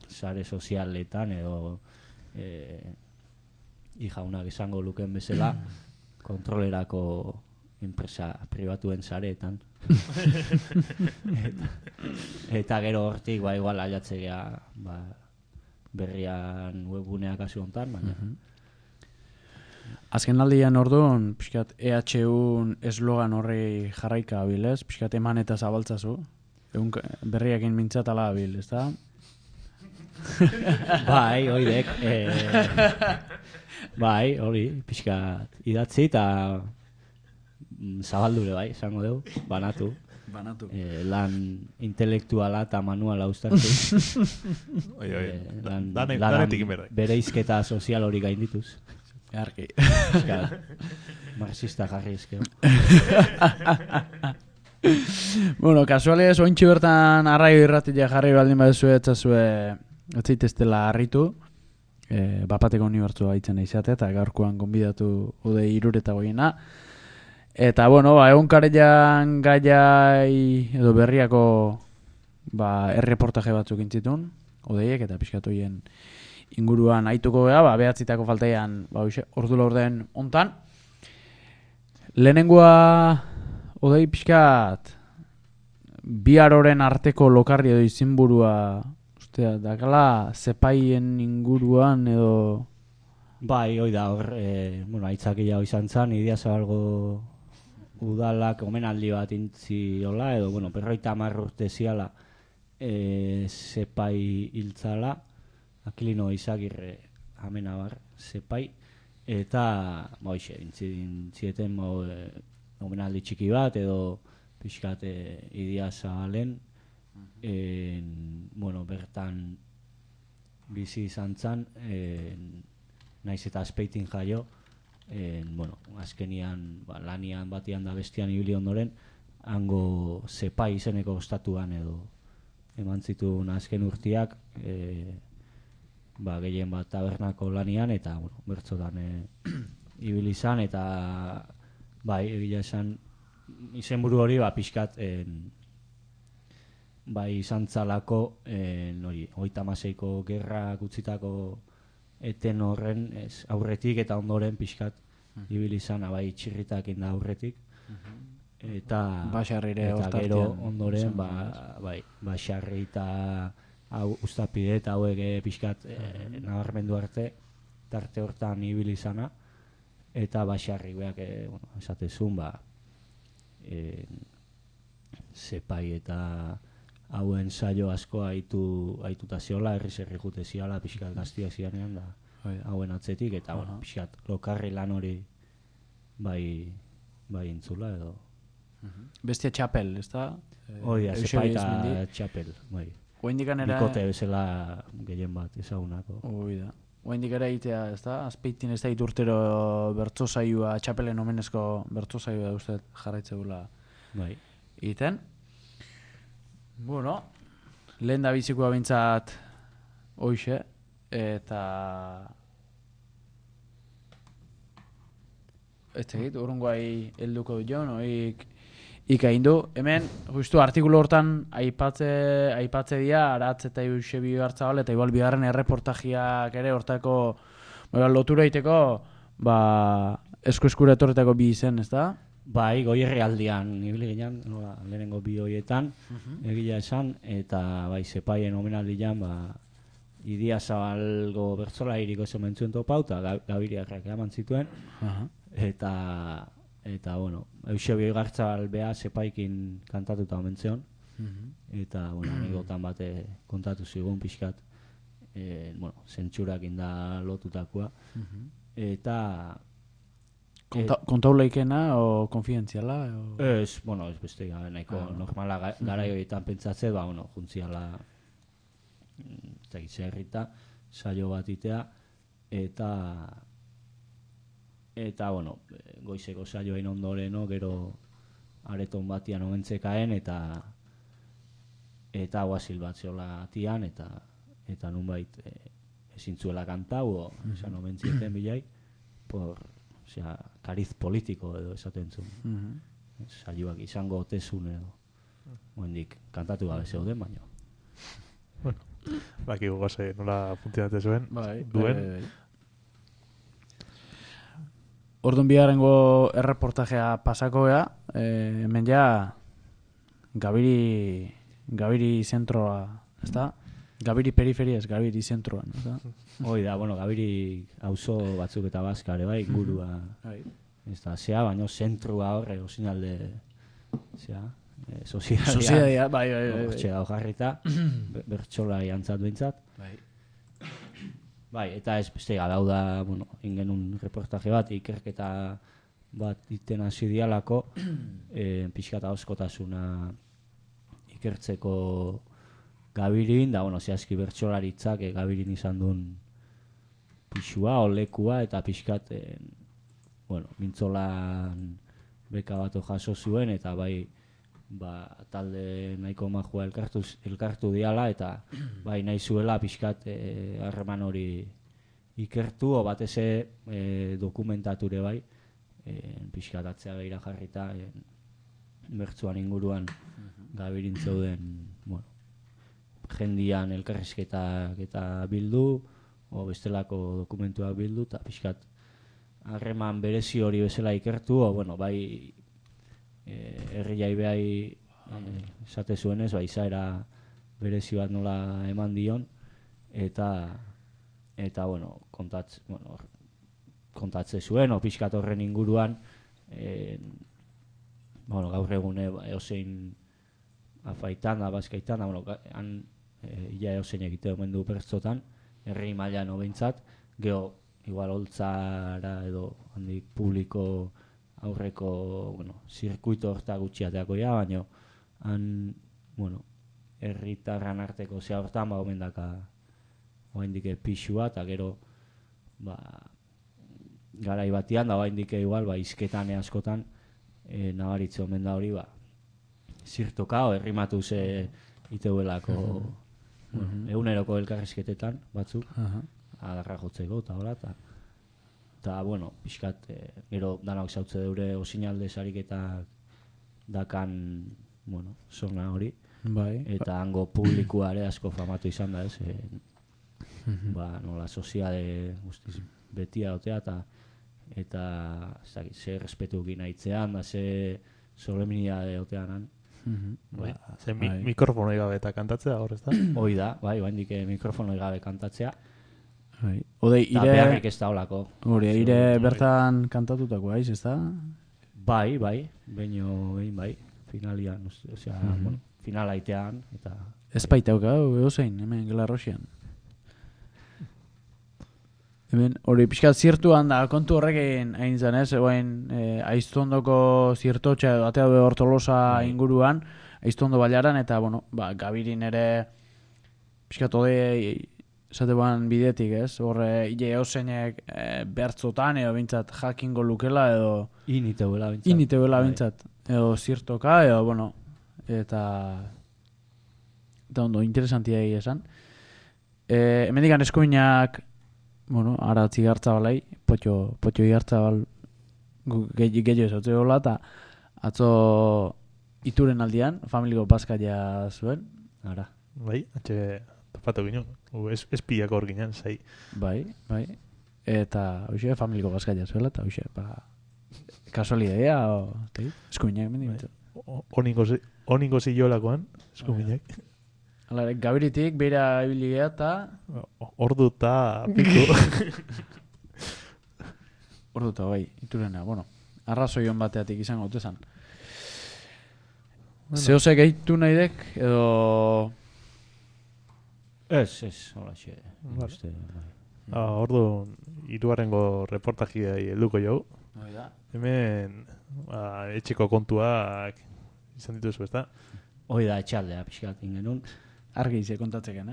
sare sozialetan edo jaunak esango luken bezala kontrolerako enpresa pribatuen sareetan. Eta gero hortik igual aiatzea berrian webguneak hasi hontan, baina azken aldian orduan, pixkat EHUn eslogan horri jarraika abilez, pixkat eman eta zabaltzazu, berriakin mintzatala abil, ez da? Bai, oidek, bai, hori, pixkat idatzi eta zabaldure bai, esango dugu, banatu. Lan intelektuala eta manuala uztartu. Danetik inberda. Bereizketa sozial hori gaindituz. Arki. Marxista jarri ezkeo. Bueno, kasualiez, ointxi bertan arraio irratia jarri baldin badezue etzazue etzaiteztela harritu. Bapateko unibertsua itzen izate eta gaurkoan gonbidatu udei 308. Eta, bueno, egunkarian gaiai edo berriako erreportaje batzuk intzitun, odeiek eta pixkatoien inguruan aituko gea, behatzitako faltaian ordu laurden ontan. Lehenengoa odei pixkat biharoren arteko lokarri edo izinburua ustea, dakala zepaien inguruan edo... Bai, hoi da hor, aitzakia izan zan, Idiazabalgo udalak omenaldi bat intziola, edo, 50 urte ziala zepai hiltzala, Akilino Izagirre amenabar zepai, eta intzieten omenaldi txiki bat, edo pixkat Idiazabalen, bertan bizi izan zan, naiz eta azpeitin jaio, azkenian lanian batian da bestian ibili ondoren, hango zepai izeneko ostatuan edo eman zituen azken urtiak, gehien bat tabernako lanian eta bertzotan ibili izan eta egia esan izenburu hori pixkat izan zalako 36ko gerra gutzitako eten horren aurretik eta ondoren pixkat ibili izan txirritak inda aurretik eta gero ondoren Baxarri eta Uztapide eta hauek pixkat nabarmendu arte tarte hortan ibili izana eta Baxarri beak esatezun zepai eta hauen saio asko aituta ziola, herri jute ziala, pixkat gaztiak zianean, da hauen atzetik, eta bueno, pixkat lokarri lan hori bai entzula edo. Bestia txapel, ez da? Hoi da, zepaita txapel, bai. Bikote bezala gehien bat ezagunako. Hoi da. Oaindik ere egitea, ez da? Azpeitin ez da urtero bertso saioa, txapelen omenezko bertso saioa da uste jarraitzeula bai. Egiten. Bueno, lehen da bizikoa bintzat hoxe, eta ez tegit, urrungoai helduko du joan, ikaindu. Hemen, justu artikulu hortan aipatze dira, Aratz eta Eusebi Gartzabal, eta igual bigarren erreportajiak ere hortako lotura egiteko, esku-eskura etorretako bi izen, ez da? Bai, Goierri aldian, ibili ginen, lehenengo bi horietan, egia esan, eta bai, zepaien omenaldian, Idia Zabalgo bertzola iriko esan mentzuen topau, eta Gabiriarrak eman zituen, eta bueno, Eusebio Gartzabal beha zepaikin kantatuta omen zion, eta, bueno, anegotan bate kontatu zigun pixkat, bueno, zentsurak inda lotutakoa, eta Kontaulaikena o konfidentziala? Ez, bueno, ez beste nahiko normala garai horietan pentsatze, bueno, juntziala zerrita, saio bat itea, eta bueno, goizeko saioain ondoreno, gero areton batian omentzekaen, eta guazil bat zeola atian, eta nunbait ezintzuela kantau, esan omentzieten bilai, osea, kariz politiko edo esaten zuen. Saioak izango otezun edo. Oendik, kantatu gabe zeuden, baina. Bueno, bakigu goze nola funtzionate zuen, duen. Orduan bigarrengo erreportajea pasako gea, hemen ja Gabiri zentroa, ez da? Gabiri periferia ez, Gabiri zentroan, ez da? Hoi da, bueno, Gabiri auzo batzuk eta bazkare, bai, ingurua, ez da, zea, baina zentrua horre, osinalde, zea, sozialia, bai. Hortxe da, hojarrita, bertxola jantzat behintzat. Bai, eta ez beste gabau da, bueno, ingenun reportaje bat, ikerketa bat iten hasi dialako, pixkata oskotasuna ikertzeko Gabirin, da, bueno, zehazki bertsolaritzak Gabirin izan duen pixua, olekua, eta pixkat, bueno, mintzolan beka bat jaso zuen, eta bai, talde nahiko majua elkartu diala, eta bai nahi zuela pixkat harreman hori ikertu, o bateze dokumentature bai, pixkat atzea behira jarrita, bertzuan inguruan Gabirin zeuden, bueno, jendian elkarrizketak eta bildu, o bestelako dokumentuak bildu, eta pixkat harreman berezi hori bezala ikertu, o bueno, bai herriai behai esate zuenez, bai izaera berezi bat nola eman dion, eta bueno, kontatze zuen, o pixkat horren inguruan, bueno, gaur egune eosein afaitan da, bazkaitan da, bueno, han ia eosein egite omen du bertzotan, herri mailan behintzat, geho, igual holtzara edo handik publiko aurreko, bueno, zirkuito horta gutxiateako ja, baina han, bueno, herritarran arteko zea hortan, omen daka oaindik pixua, eta gero, garai batian, da oaindik igual, izketan askotan, nabaritze omen da hori, zirtoka, herrimatu ze iteuelako, eguneroko elkarrizketetan, batzuk, adarra jotzeko, eta hola, eta, bueno, pixkat, gero danak zautze deure osinalde sariketak dakan, bueno, zona hori, eta hango publikoare asko famatu izan da, ez, nola soziade guztiz betia otea, eta ze respetu ginaitzean, da ze solemnidade oteanan. Ze mikrofonoi gabe eta kantatzea hor, ez da? Hoi da, bai, oaindik mikrofonoi gabe kantatzea. Odei, Eta beharrik ez da olako. Ire bertan kantatutako aiz, ez da? Bai, behin bai, finalian, osea, bueno, finala itean, eta... Ez baitauka, eozein, hemen Gelarrosian. Hemen, hori pixkat zirtuan da, kontu horrekin hain zen, ez? Egoen, Aiztondoko zirtotxa edo atea hor Tolosa inguruan, Aiztondo bailaran, eta, bueno, Gabirin ere pixkat ode esate ban bidetik, ez? Horre, ile eozeinek bertzotan, edo bintzat jakingo lukela, edo... Initeuela bintzat. Edo zirtoka, edo, bueno, eta ondo, interesantia egia esan. Hemendikan eskuinak, bueno, ara Tzigartzabalai, potxo Igartzabal gehiago esautze gola, eta atzo ituren aldian, familiko paskaia zuen. Ara. Bai, topatu ginen, espiak hor ginen, zai. Bai. Eta, hoxe, familiko paskaia zuela, eta hoxe, kasualidea, eskuinak mendik. Oningo zilolakoan, eskuminak. Gabiritik, beira ibiligea eta... Ordu eta piku. Ordu eta bai, iturena, bueno. Arrazoion bateatik izango dutezan. Zehose gehitu nahi dek, edo... Ez, hola xe. Ordu, hirugarrengo reportajia helduko jau. Hemen, etxeko kontuak izan dituzu, ezta? Hoi da, etxaldea pixkat ingenun. Argi ize kontatzeken,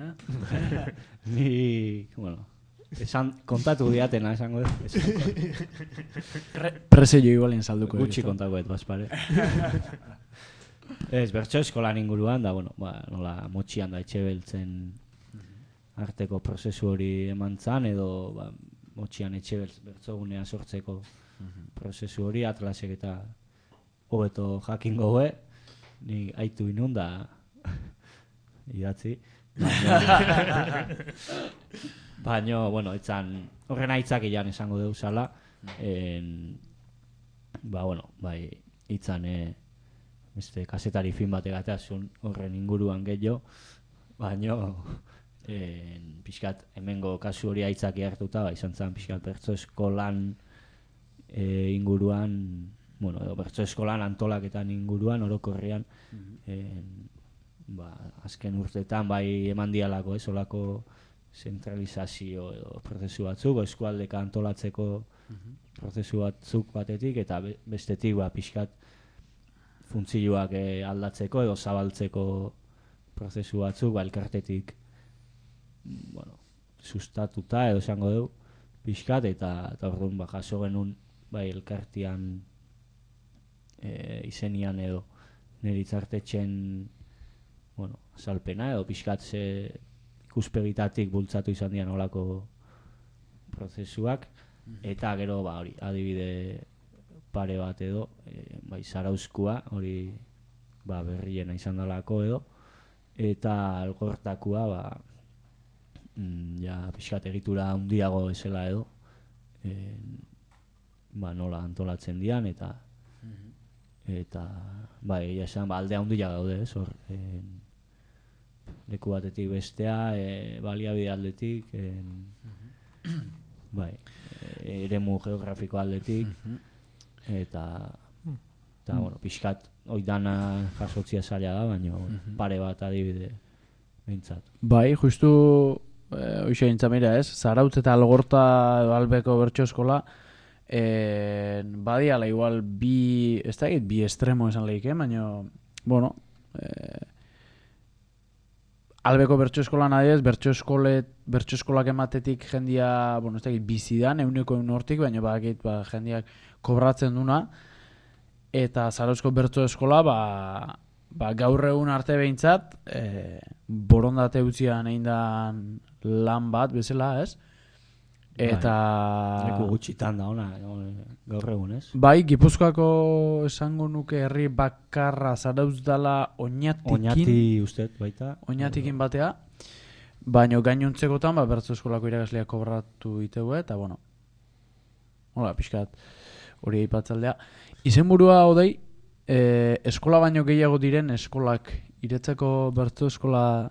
Ni, bueno, kontatu diatena esango dut. Presello igualen salduko. Gutxi kontako bazpare. Ez, bertso eskolan inguruan, da, bueno, nola motxian da etxe beltzen arteko prozesu hori eman zan, edo motxian etxe bertzogunea sortzeko prozesu hori, Atlasek eta hobeto jakingo goe, ni aitu inun da idatzi. Baina, bueno, etzan horren aitzak ilan esango deu zala, bai, itzan beste kasetari film bat egateazun horren inguruan gehiago, baina pixkat hemengo kasu hori aitzaki hartuta, izan zen pixkat bertso eskolan inguruan, bueno, edo bertso eskolan antolaketan inguruan, orokorrean, azken urteetan bai eman dialako, olako zentralizazio edo prozesu batzuk, eskualdeka antolatzeko prozesu batzuk batetik, eta bestetik pixkat funtzioak aldatzeko edo zabaltzeko prozesu batzuk, elkartetik sustatuta edo esango dugu pixkat, eta orduan jaso genuen elkartian izenian edo nire itzartetxen azalpena edo pixkat ze ikuspegitatik bultzatu izan dian olako prozesuak, eta gero hori adibide pare bat edo Zarauzkua hori berriena izan dalako edo, eta Algortakua pixkat egitura handiago esela edo, nola antolatzen dian, eta egia esan alde handia daude ez hor, leku batetik bestea, baliabide aldetik, eremu geografiko aldetik, eta pixkat oidana jasotzia zaila da, baina pare bat adibide behintzat. Bai, justu hoxe intzamira ez, Zarautz eta Algorta Albeko bertso eskola badiala igual bi estremo esan lehike, baina bueno, Albeko bertso eskolan adiez, bertso eskolak ematetik jendia, bueno, ez dakit bizidan, euneko hortik, baina jendiak kobratzen duna, eta Zarauzko bertso eskola, gaur egun arte behintzat, borondate utzian egin lan bat, bezala, ez? Eta... Leku gutxitan da ona, gaur egun, ez? Bai, Gipuzkoako esango nuke herri bakarra Zarautz dala Oñati ustet baita. Oñatikin batea, baina gainontzekotan bertso eskolako irakasleak kobratu ditegu, eta bueno, hola, pixkat hori aipatzaldea. Izenburua hodei, eskola baino gehiago diren eskolak iretzeko bertso eskola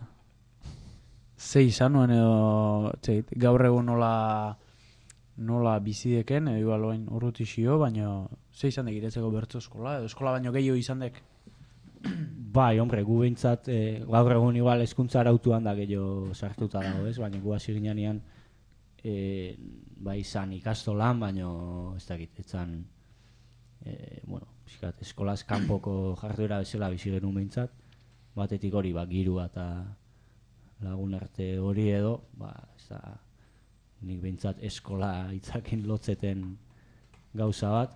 ze izan nuen edo gaur egun nola bizideken, edo igual oin urrutixio, baina ze izan dek iretzeko bertso eskola, edo eskola baino gehiago izan dek? Bai, hombre, gu behintzat, gaur egun igual hezkuntza arautuan da gehiago sartuta dago, ez? Baina gu hasi ginean bai izan ikastolan, baina ez dakit, etzan, bueno, pixkat, eskolaz kanpoko jarduera bezala bizi genuen behintzat, batetik hori, girua eta lagun arte hori edo, ez da, nik behintzat eskola hitzakin lotzeten gauza bat,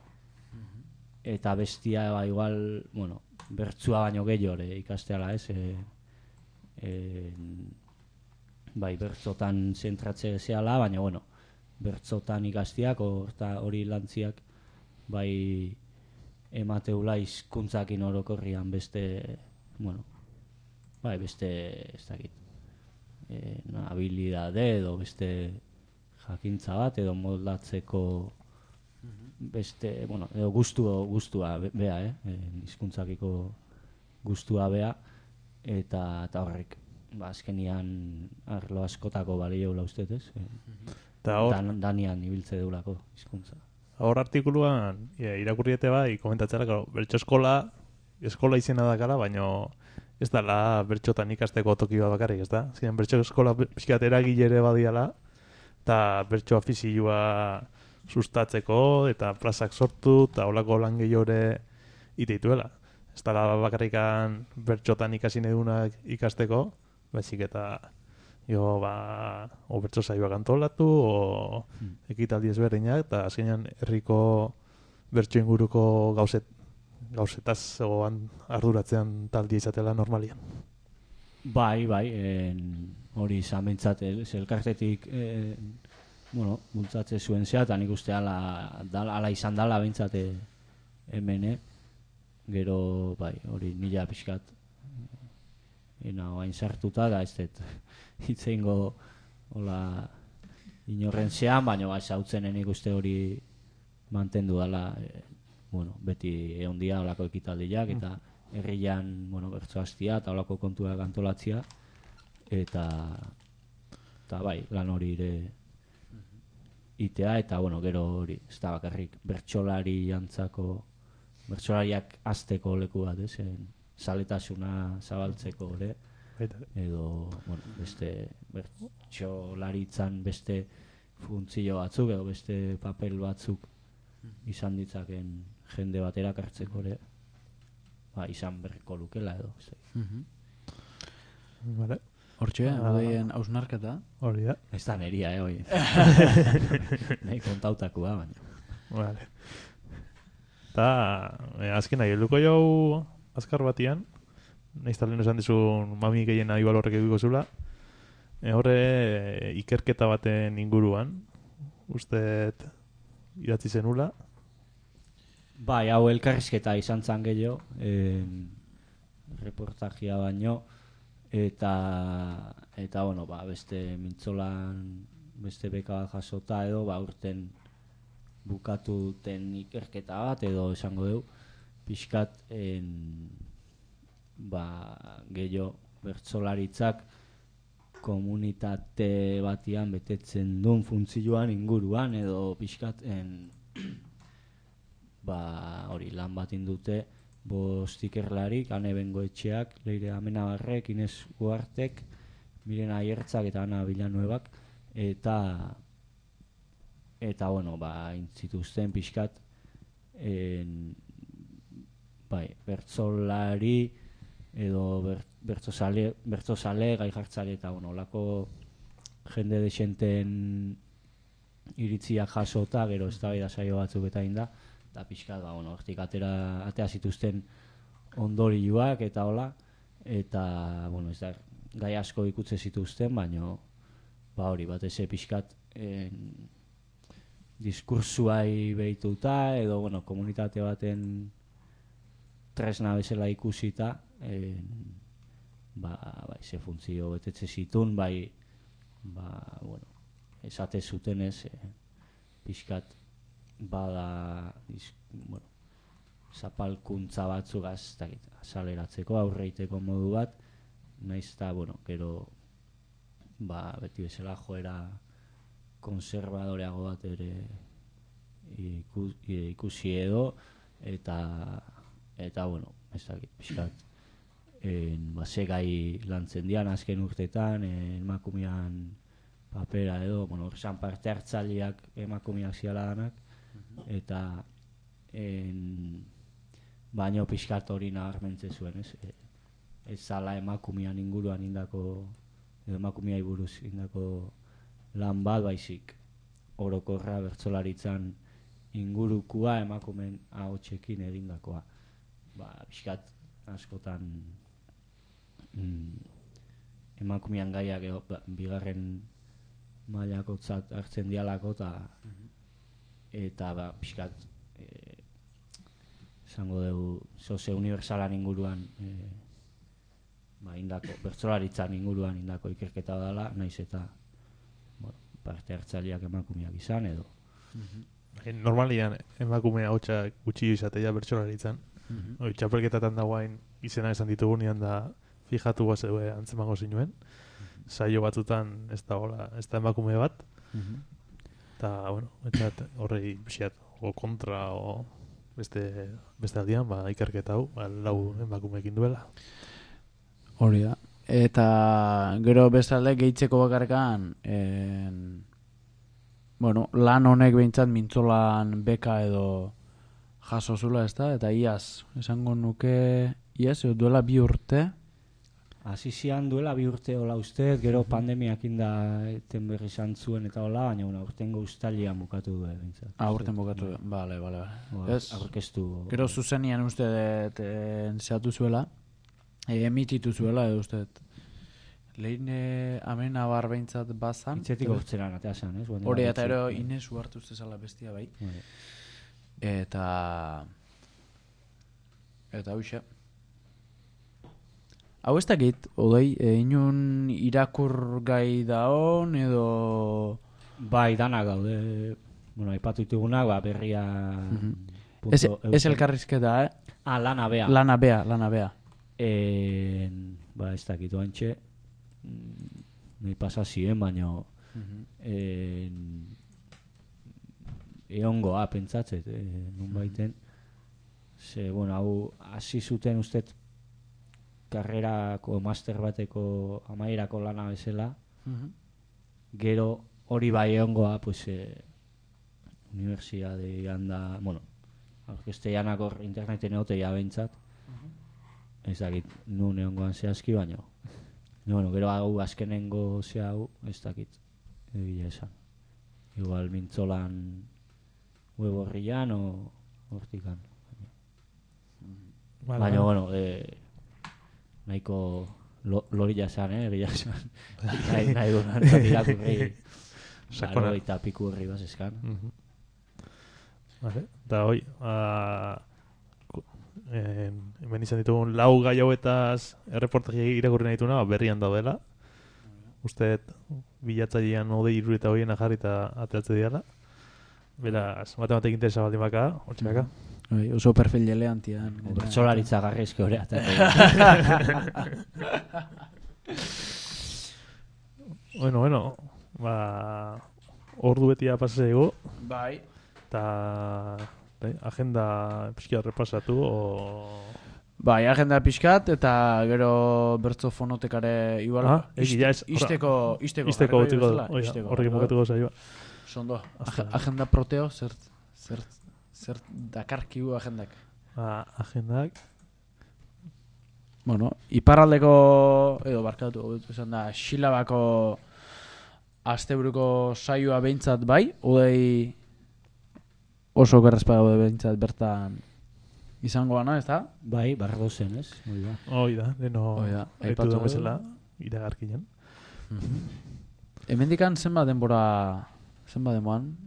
eta bestia igual, bueno, bertsua baino gehiago ikasteala, ez? Bai, bertzotan zentratze zehala, baina, bueno, bertzotan ikastiak, hori lantziak, bai, emateula hizkuntzakin orokorrian beste, bueno, bai, beste, ez dakit, habilidade edo beste jakintza bat, edo moldatzeko beste, bueno, edo gustua bea, hizkuntzakiko gustua bea, eta horrek, azkenian arlo askotako balioula ustez, ez? Danian ibiltze deulako hizkuntza. Hor artikuluan irakurriete bai, komentatzera, bertso eskola izena dakala, baina ez dala bertxotan ikasteko toki bat bakarrik, ez da? Ziren bertso eskola pixkat eragilere badiala, eta bertso afizioa sustatzeko, eta plazak sortu, eta holako lan gehiore iteituela. Ez dala bakarrikan bertxotan ikasi nahidunak ikasteko, baizik eta o bertso saioak antolatu, o ekitaldi ezberdinak, eta azkenean herriko bertso inguruko gauzetaz arduratzean taldia izatela normalian. Bai, hori izan bentsat, elkartetik bueno, bultzatze zuen zea, eta nik uste ala izan dala bentsat hemen, gero, bai, hori nila pixkat hain sartuta, da ez dut hitzeingo inorren zean, baina zautzen nik uste hori mantendu dala, bueno, beti egon dia olako ekitaldiak, eta herrian, bueno, bertso hastia, eta olako kontuak antolatzia, eta bai, lan hori ere itea, eta, bueno, gero hori, ez da bakarrik, bertsolariak azteko leku bat, zaletasuna zabaltzeko, edo, bueno, beste bertsolaritzan beste funtzio batzuk, edo beste papel batzuk izan ditzaken jende bat erakartzeko, izan berriko lukela, edo. Vale. Hortxe, hodeien hausnarketa. Hori da. Ez da neria, hoi. Nahi kontautakoa, baina. Vale. Eta, azken nahi, helduko jau azkar batian, nahiz talen esan dizun mami gehien nahi balorrek eduko zula, horre ikerketa baten inguruan, usteet idatzi zenula. Bai, hau elkarrizketa izan zan gehiago, reportajia baino, eta bueno, beste mintzolan, beste beka bat jasota edo, urten bukatu duten ikerketa bat, edo esango dugu, pixkat gehiago bertsolaritzak komunitate batian betetzen duen funtzioan inguruan, edo pixkat hori lan bat indute 5 ikerlarik, Ane Bengoetxeak, Leire Amenabarrek, Ines Uartek, Miren Aiertzak eta Ana Villanuevak, eta bueno, intzituzten pixkat bertsolari edo bertsozale, gai jartzale eta olako jende desenten iritziak jasota, gero eztabaida saio batzuk eta inda, eta pixkat, hortik atea zituzten ondorioak eta hola, eta, ez da, gai asko ikutze zituzten, baina, hori, batez pixkat diskursuai behituta, edo, komunitate baten tresna bezala ikusita, ze funtzio betetze zitun, esate zutenez, pixkat, bada zapalkuntza batzuk azaleratzeko, aurreiteko modu bat, nahiz eta, gero beti bezala joera konservadoreago bat ere ikusi edo, eta ez dakit, pixkat ze gai lantzen dian azken urtetan, emakumean papera edo, bueno, esan parte hartzaileak emakumeak ziala danak, eta baino pixkat hori nabarmentze zuen, ez? Ez zala emakumean inguruan indako, edo emakumeai buruz indako lan bat baizik orokorra bertsolaritzan ingurukua emakumeen ahotsekin egindakoa. Pixkat askotan emakumean gaiak bigarren mailakotzat hartzen dialako eta pixkat esango dugu sozio unibertsalan inguruan indako, bertsolaritzan inguruan indako ikerketa dela, naiz eta parte hartzaileak emakumeak izan edo. Normalian emakumea hotza gutxi izatea bertsolaritzan. Txapelketatan dagoain izena esan ditugunean da fijatu bazeue antzemango zinuen. Saio batzutan ez da emakume bat. Eta, bueno, horrei biziat, o kontra, o beste aldian, ikerketa hau, lau emakumeekin duela. Hori da. Eta gero bestalde gehitzeko bakarkan lan honek behintzat mintzolan beka edo jaso zula, ez da? Eta iaz, esango nuke iaz, duela 2 urte. Hasi zian duela 2 urte hola ustez, gero pandemiak inda eten berri izan zuen eta hola, baina urtengo uztailean bukatu du behintzat. Urten bukatu du, bale. Aurkeztu. Gero zuzenian uste zehatu zuela, emititu zuela, edo uste lehin hemen abar behintzat bazan. Itzetik hortzeran atea zan, ez? Hori, eta ero Ines uhartu zezala bestia bai. Eta hoxe. Hau ez dakit, odei, inun irakur gai daon edo... Bai, danak gaude. Aipatu ditugunak, berria... Ez elkarrizketa, Lana Bea. Lana Bea. Ez dakit, oantxe. Nahi pasa ziren, baina... Eongoa, pentsatzet, nun baiten. Hau, hasi zuten ustet karrerako, master bateko amaierako lana bezala. Gero hori bai eongoa, universidadean da, orkesteianak hor interneten egotea bentsat. Ez dakit, nun eongoan zehazki, baina. Gero hau azkenengo hau, ez dakit, egia esan. Igual mintzolan web horrian o hortikan. Baina, nahiko lorila esan, egia esan. Nahi dunan irakurri laro eta piku horri bazeskan. Eta hoi, hemen izan ditugun 4 gai hauetaz erreportaji irakurri nahi dutuna, berrian daudela. Uste bilatzailean 23 jarri eta ateatze diala. Beraz, matematik interesa baldin baka, hortxe baka. Oso perfil eleantian. Bertsolaritza garrizke hori. Bueno. Ordu betia pasasego. Bai. Eta agenda pixkat repasatu o... Bai, agenda pixkat eta gero bertzo fonotekare igual isteko horrekin bukatuko zaioa. Sondo, agenda proteo, zer dakarkigu agendak? Agendak? Iparraldeko, edo barkatu, esan da, Xilabako asteburuko saioa behintzat bai, odei oso gerrezpaga behintzat bertan izango gana, ez da? Bai, bardo zen, ez? Hoi da, deno aitu duen bezala, iragarkinen. Hemendikan zenbat denboran?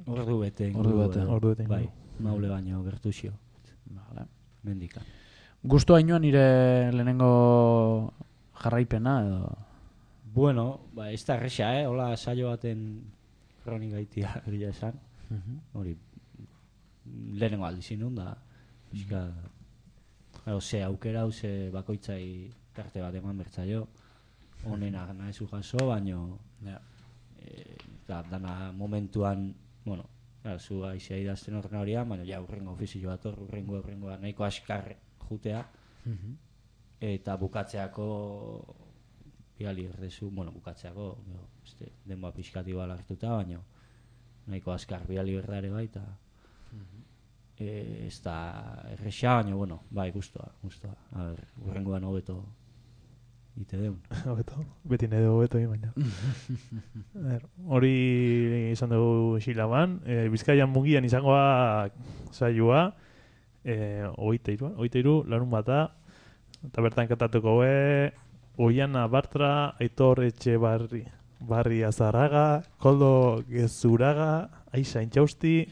Ordu bete. Bai, maule baino gertuzio. Mendikan. Gustu hainoan nire lehenengo jarraipena edo? Bueno, ez da erresa, hola saio baten kronika itia egia esan. Hori, lehenengo aldizinun da. Ze aukera, ze bakoitzai tarte bat eman bertzaio. Honena nahezu jaso, baino... dana momentuan, zu aizia idazten horren horian, baina urrengo ofizio bat hor, urrengoa nahiko askar jutea. eta bukatzeako biali erdezu, bukatzeako, denboa pixkati bala hartuta, baina nahiko azkar biali erdare bai, eta ez da erresa, baina, bai, guztua. A ber, urrengoan hobeto ite deun. Hobeto, beti nahi dugu hobeto baina. Hori izan dugu Xilaban, Bizkaian Mungian izangoa saioa, 23, larun bata, eta bertan kantatuko Oiana Bartra, Aitor Etxebarri Azarraga, Koldo Gezuraga, Aixa Intxausti,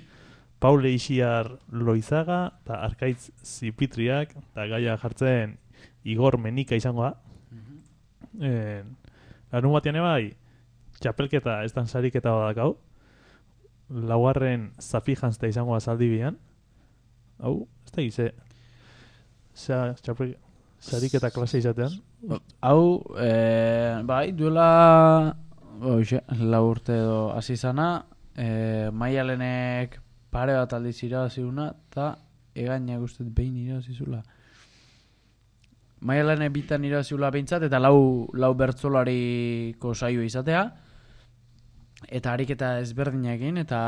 Paule Ixiar Loizaga, eta Arkaitz Zipitriak, eta gaia jartzen Igor Menika izangoa. Larun batean bai, txapelketa, ez dan sariketa badakau. Laugarren Zafi jantzta izangoa Zaldibian. Hau, ez da gize. Sariketa klase izatean. Hau, bai, duela lau urte edo hasi zana, Maialenek pare bat aldiz irabaziuna, eta egainak uste behin irabazizula. Maialenek bitan irabazizula behintzat, eta lau bertzolariko saio izatea, eta ariketa ezberdinekin, eta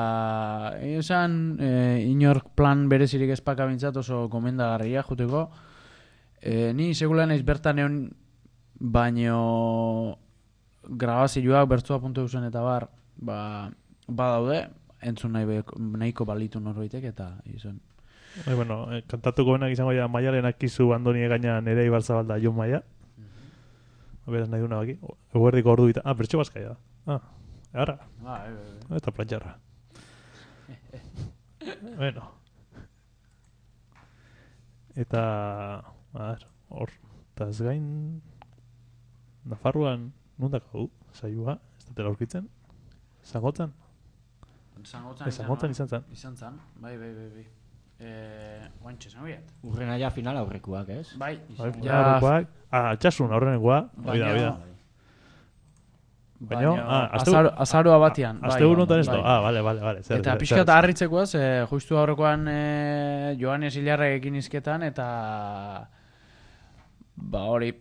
esan inork plan berezirik espaka behintzat oso gomendagarria juteko. Ni segulan ez bertan egon, baino grabazioak bertzoa.eusen eta bar, badaude, entzun nahiko balitu norbaitek, eta izan. Kantatuko benak izango ja Maialenak izu Andoni gaina nere Ibarzabalda Jon Maia. Beraz nahi duna baki. Eguerdiko ordu bita. Bertso Bazkaia da. Egarra. Eta plantxarra. Eta hor, eta ez gain Nafarroan nundako saioa, ez dutela aurkitzen? Zangotzan? Zangotzan izan zan. Izan zan, bai. Guantxe zangoiat. Urrena ja final aurrekuak, ez? Bai. Aurrekuak. Altsasun aurrenekoa. Oida. Azaroa batian. Azte buruntan ez do. Bale. Eta pixkat harritzekoaz, justu aurrekoan Joanes Ilarrek ekin izketan, eta hori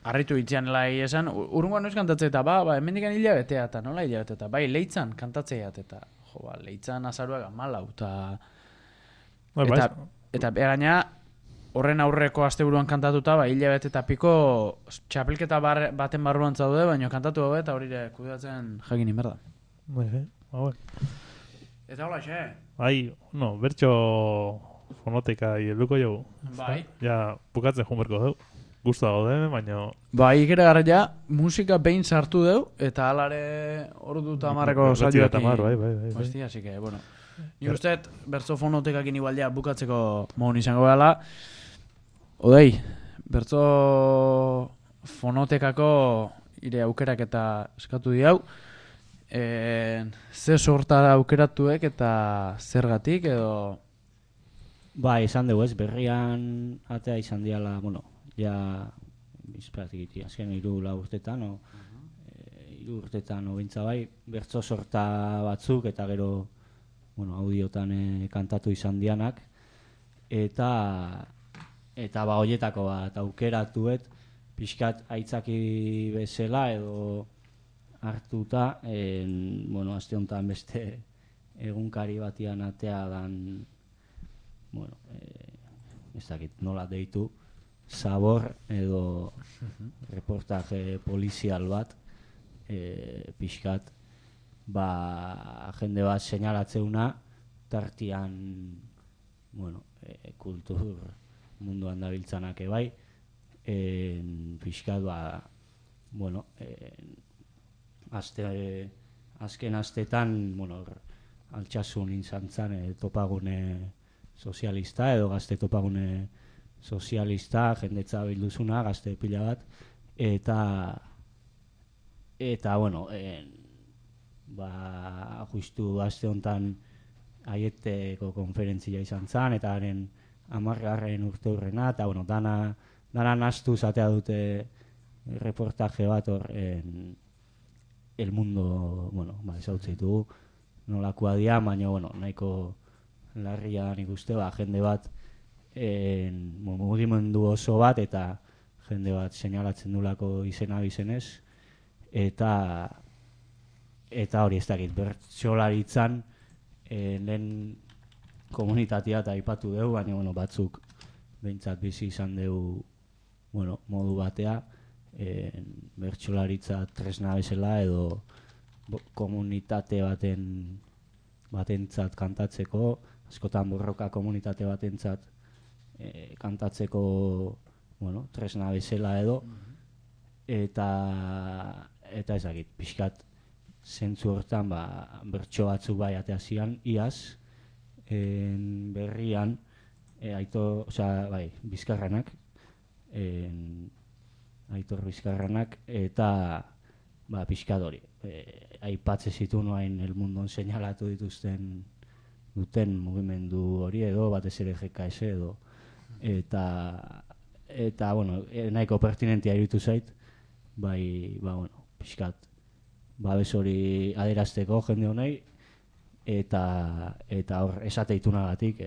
harritu itzean lai esan, urrungoan noiz kantatzea eta hemendikan hilabetea eta nola hilabetea eta bai, leitzan kantatzea eta leitzan azaruak 14 eta gaina horren aurreko asteburuan kantatuta hilabete eta piko txapelketa baten barruan zaude, baina kantatu gabe eta hori kudeatzen jakin inberda. Eta hola xe? Bai, bertxo fonoteka helduko jau. Bai. Ja, bukatzen junberko dugu. Gusta gaude, baina... Bai, ikera gara musika behin sartu deu, eta alare ordu eta amarreko saioak. Bai. Hostia, así que, bueno. Ni usteet, bertso fonotekakin igualdea bukatzeko mohon izango gala. Odei, bertso fonotekako ire aukerak eta eskatu diau. Ze sorta aukeratuek eta zergatik edo... Ba, izan dugu ez, berrian atea izan diala, ja, bizperatik azken 3 urtetan, bintza bai, bertso sorta batzuk, eta gero, audiotan kantatu izan dianak, eta horietako bat aukeratuet, pixkat aitzaki bezala edo hartuta, aste honetan beste egunkari batian atea dan, ez dakit nola deitu, Sabor edo reportaje polizial bat, pixkat, jende bat seinalatzeuna, tartian, kultur munduan dabiltzanak ebai, pixkat, azken astetan, altsasun izan zan topagune sozialista edo gazte topagune sozialista, jendetza bilduzuna, gazte pila bat, eta justu aste honetan aieteko konferentzia izan zan, eta haren 10. urte hurrena, eta dana nastu zatea dute reportaje bat hor El Mundo, ezautze ditugu, nolakoa dia, baina nahiko larria nik uste, jende bat mugimendu oso bat eta jende bat seinalatzen dulako izena bizenez, eta hori ez dakit, bertsolaritzan lehen komunitatea eta aipatu dugu, baina batzuk behintzat bizi izan dugu modu batea, bertsolaritza tresna bezala edo komunitate batentzat kantatzeko, askotan borroka komunitate batentzat kantatzeko tresna bezala edo, eta ezagit, pixkat zentzu hortan bertso batzuk bai ateazian iaz, berrian Bizkarranak, Aitor Bizkarranak, eta pixkat hori, aipatze zitu noain el mundon seinalatu duten mugimendu hori edo, batez ere GKS edo, eta nahiko pertinentia iruditu zait, pixkat, babes hori adierazteko jende honei, eta hor esateitunagatik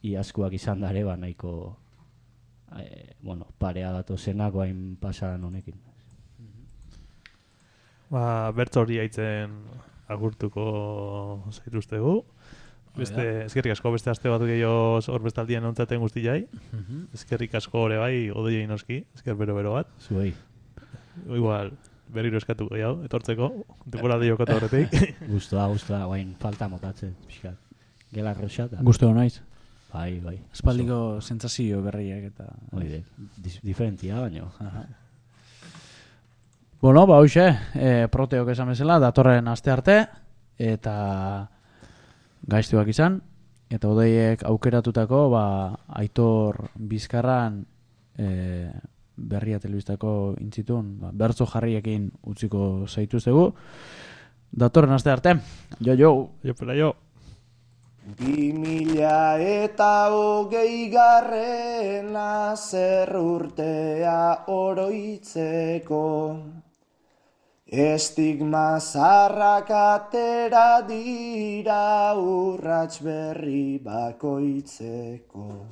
iazkoak izan dare nahiko parea datozenak hain pasadan honekin. Bertso hori haitzen agurtuko zaituztegu. Eskerrik asko beste aste bat gehiago hor bestaldian ontzaten guztiai. Eskerrik asko hori bai, odoiei noski, esker bero bat. Zuei. Igual, berriro eskatu gehiago, etortzeko, temporaldi jokatu horretik. Guztua, guain falta motatzen, pixkat. Gela roxata. Guztua naiz. Bai. Espaldiko sentsazio berriak eta... Oide, diferentia baino. Hoxe, proteok esan bezala, datorren aste arte, eta gaiztuak izan, eta odeiek aukeratutako, Aitor Bizkarran berria telebistako intzitun, bertso jarriekin utziko zaituztegu. Datorren aste arte, jo. 2020 zer urtea oroitzeko, estigma zarrak atera dira urrats berri bakoitzeko.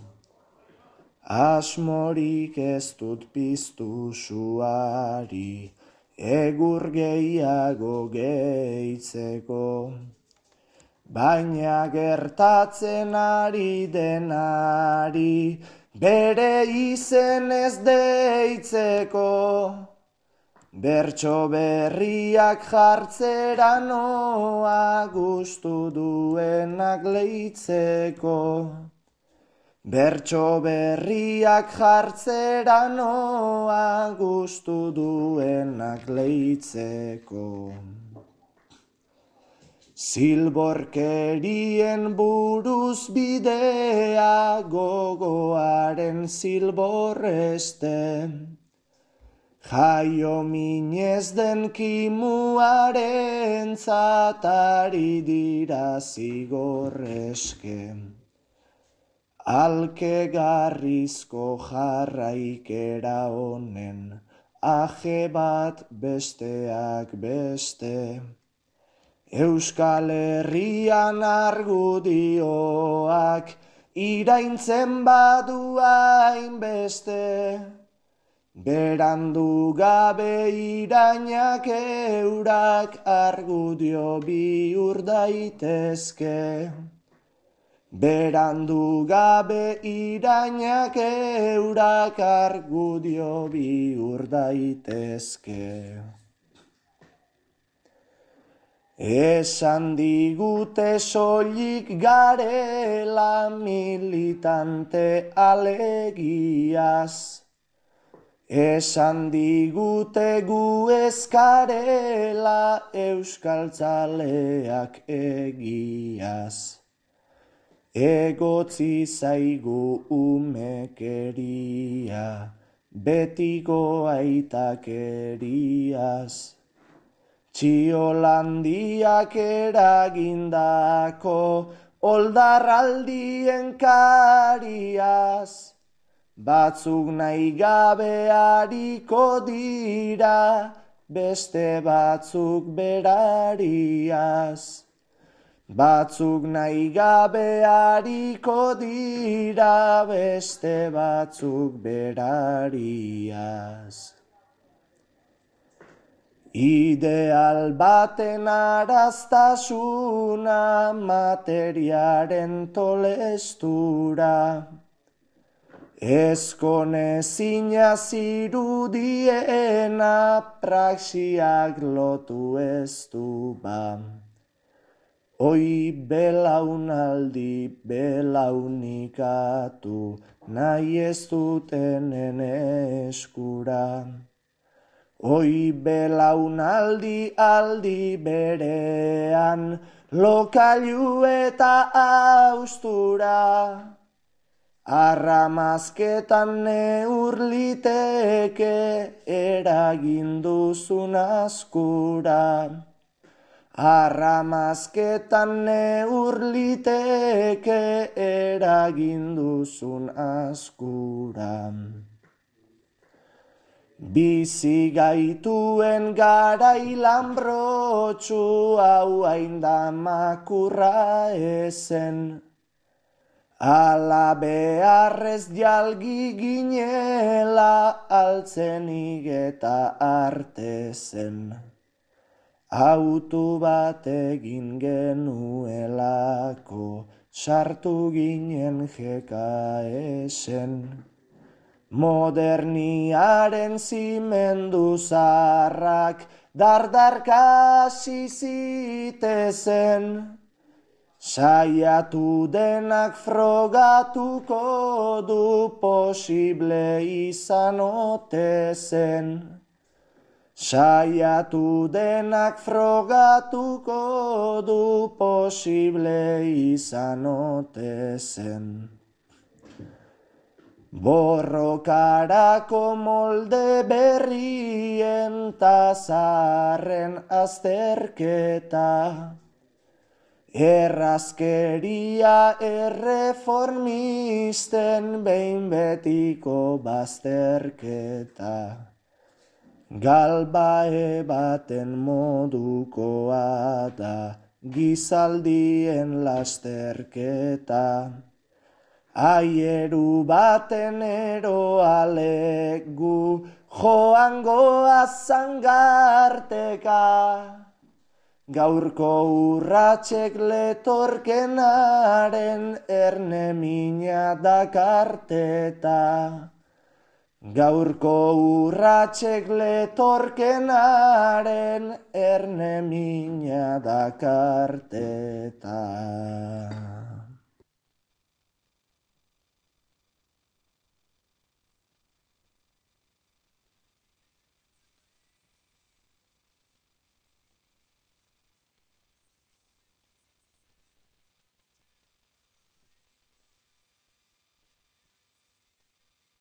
Asmorik ez dut piztu suari, egur gehiago gehitzeko. Baina gertatzen ari denari, bere izen ez deitzeko. Bertso berriak jartzera noa gustu duenak leitzeko. Bertso berriak jartzera noa gustu duenak leitzeko. Zilborkerien buruz bidea gogoaren zilborreste. Jaio minez den kimuaren zatari dira zigorreske. Alkegarrizko jarraikera honen, aje bat besteak beste. Euskal Herrian argudioak iraintzen badu hainbeste. Berandu gabe irainak eurak argudio bihur daitezke. Berandu gabe irainak eurak argudio bihur daitezke. Esan digute soilik garela militante alegiaz. Esan digute gu ezkarela euskaltzaleak egiaz. Egotzi zaigu umekeria, betiko aitakeriaz. Txiolandiak eragindako oldarraldien kariaz. Batzuk nahi gabe hariko dira, beste batzuk berariaz. batzuk nahi gabe hariko dira beste batzuk berariaz. Ideal baten araztasuna materiaren tolestura, ezkonezina zirudiena praxiak lotu ez du ba. Oi belaunaldi belaunikatu nahi ez dutenen eskura. Oi belaunaldi aldi berean lokailu eta austura. Arramazketan neur liteke eragin duzun askura. Arramazketan neur liteke eragin duzun askura. Bizi gaituen garai lanbrotsu hau hain da makurra ezen. Ala beharrez jalgi ginela altzenik eta arte zen. Autu bat egin genuelako sartu ginen GKS-en. Moderniaren zimendu zaharrak dardarka hasi zitezen. Saiatu denak frogatuko du posible izan ote zen. Saiatu denak frogatuko du posible izan ote zen. Borrokarako molde berrien ta zaharren azterketa. Errazkeria erreformisten behin betiko bazterketa. Galbae baten modukoa da gizaldien lasterketa. Aieru baten eroalek gu joangoa zangarteka. Gaurko urratsek letorkenaren erne mina dakarteta. Gaurko urratsek letorkenaren erne mina dakarteta.